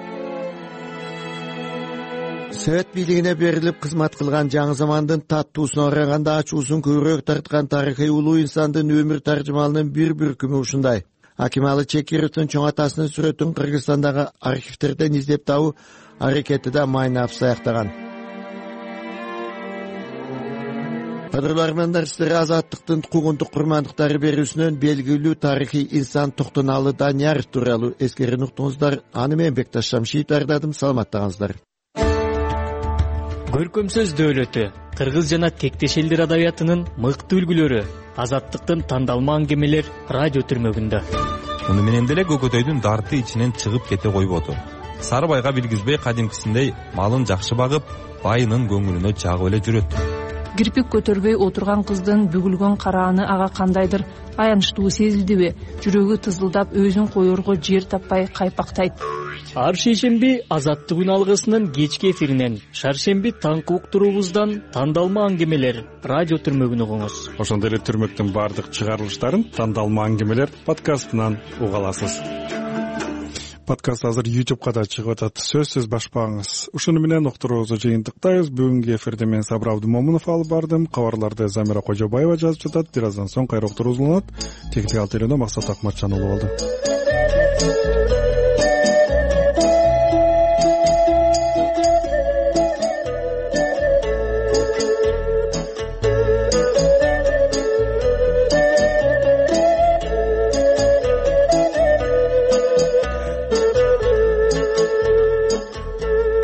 совет бийлигине берилип кызмат кылган жаңы замандын таттуусуна караганда ачуусун көбүрөөк тарткан тарыхый улуу инсандын өмүр таржымалынын бир бүркүмү ушундай. Акималы Чекировдун чоң атасынын сүрөтүн Кыргызстандагы архивтерден издеп табуу аракети да майнап саяктаган. Кадырлармандар, сиздерге азаттыктын куугунтук курмандыктары берүүсүнөн белгилүү тарыхый инсан Токтоналы Данияров тууралуу эскерин уктуңуздар. Аны мен Бекташ Шамшиев даярдадым. Саламаттаңыздар. Көркөм сөз дөөлөтү, кыргыз жана тектеш элдер адабиятынын мыкты үлгүлөрү, азаттыктын тандалма аңгемелер радио түрмөгүндө. Муну менен деле Көкөтөйдүн дарты ичинен чыгып кете койбоду. Сарыбайга билгизбей кадимкисиндей малын жакшы багып, байынын көңүлүнө жагып эле жүрөт. Кирпик көтөрбөй отурган кыздын бүгүлгөн карааны ага кандайдыр аянычтуу сезилдиби? Жүрөгү тызылдап, өзүн коерго жер таппай кайпактайт. Ар шейшемби азаттык үн алгысынын кечки эфиринен, шаршемби таңкы уктуруубуздан тандалма аңгемелер радио түрмөгүн угуңуз. Ошондой эле түрмөктүн баардык чыгарылыштарын тандалма аңгемелер подкастынан уга аласыз. Подкаст азыр ютубка да чыгып атат. Сөзсүз башпаңыз. Ушуну менен уктуруубузду жыйынтыктайбыз. Бүгүнкү эфирде мен Сабыр Абдымомунов алып бардым. Кабарларды Замира Кожобаева жазып жатат. Бир аздан соң кайра уктуруу уланат. Техникалык тейлөөнө Максат Акматжан уулу болду.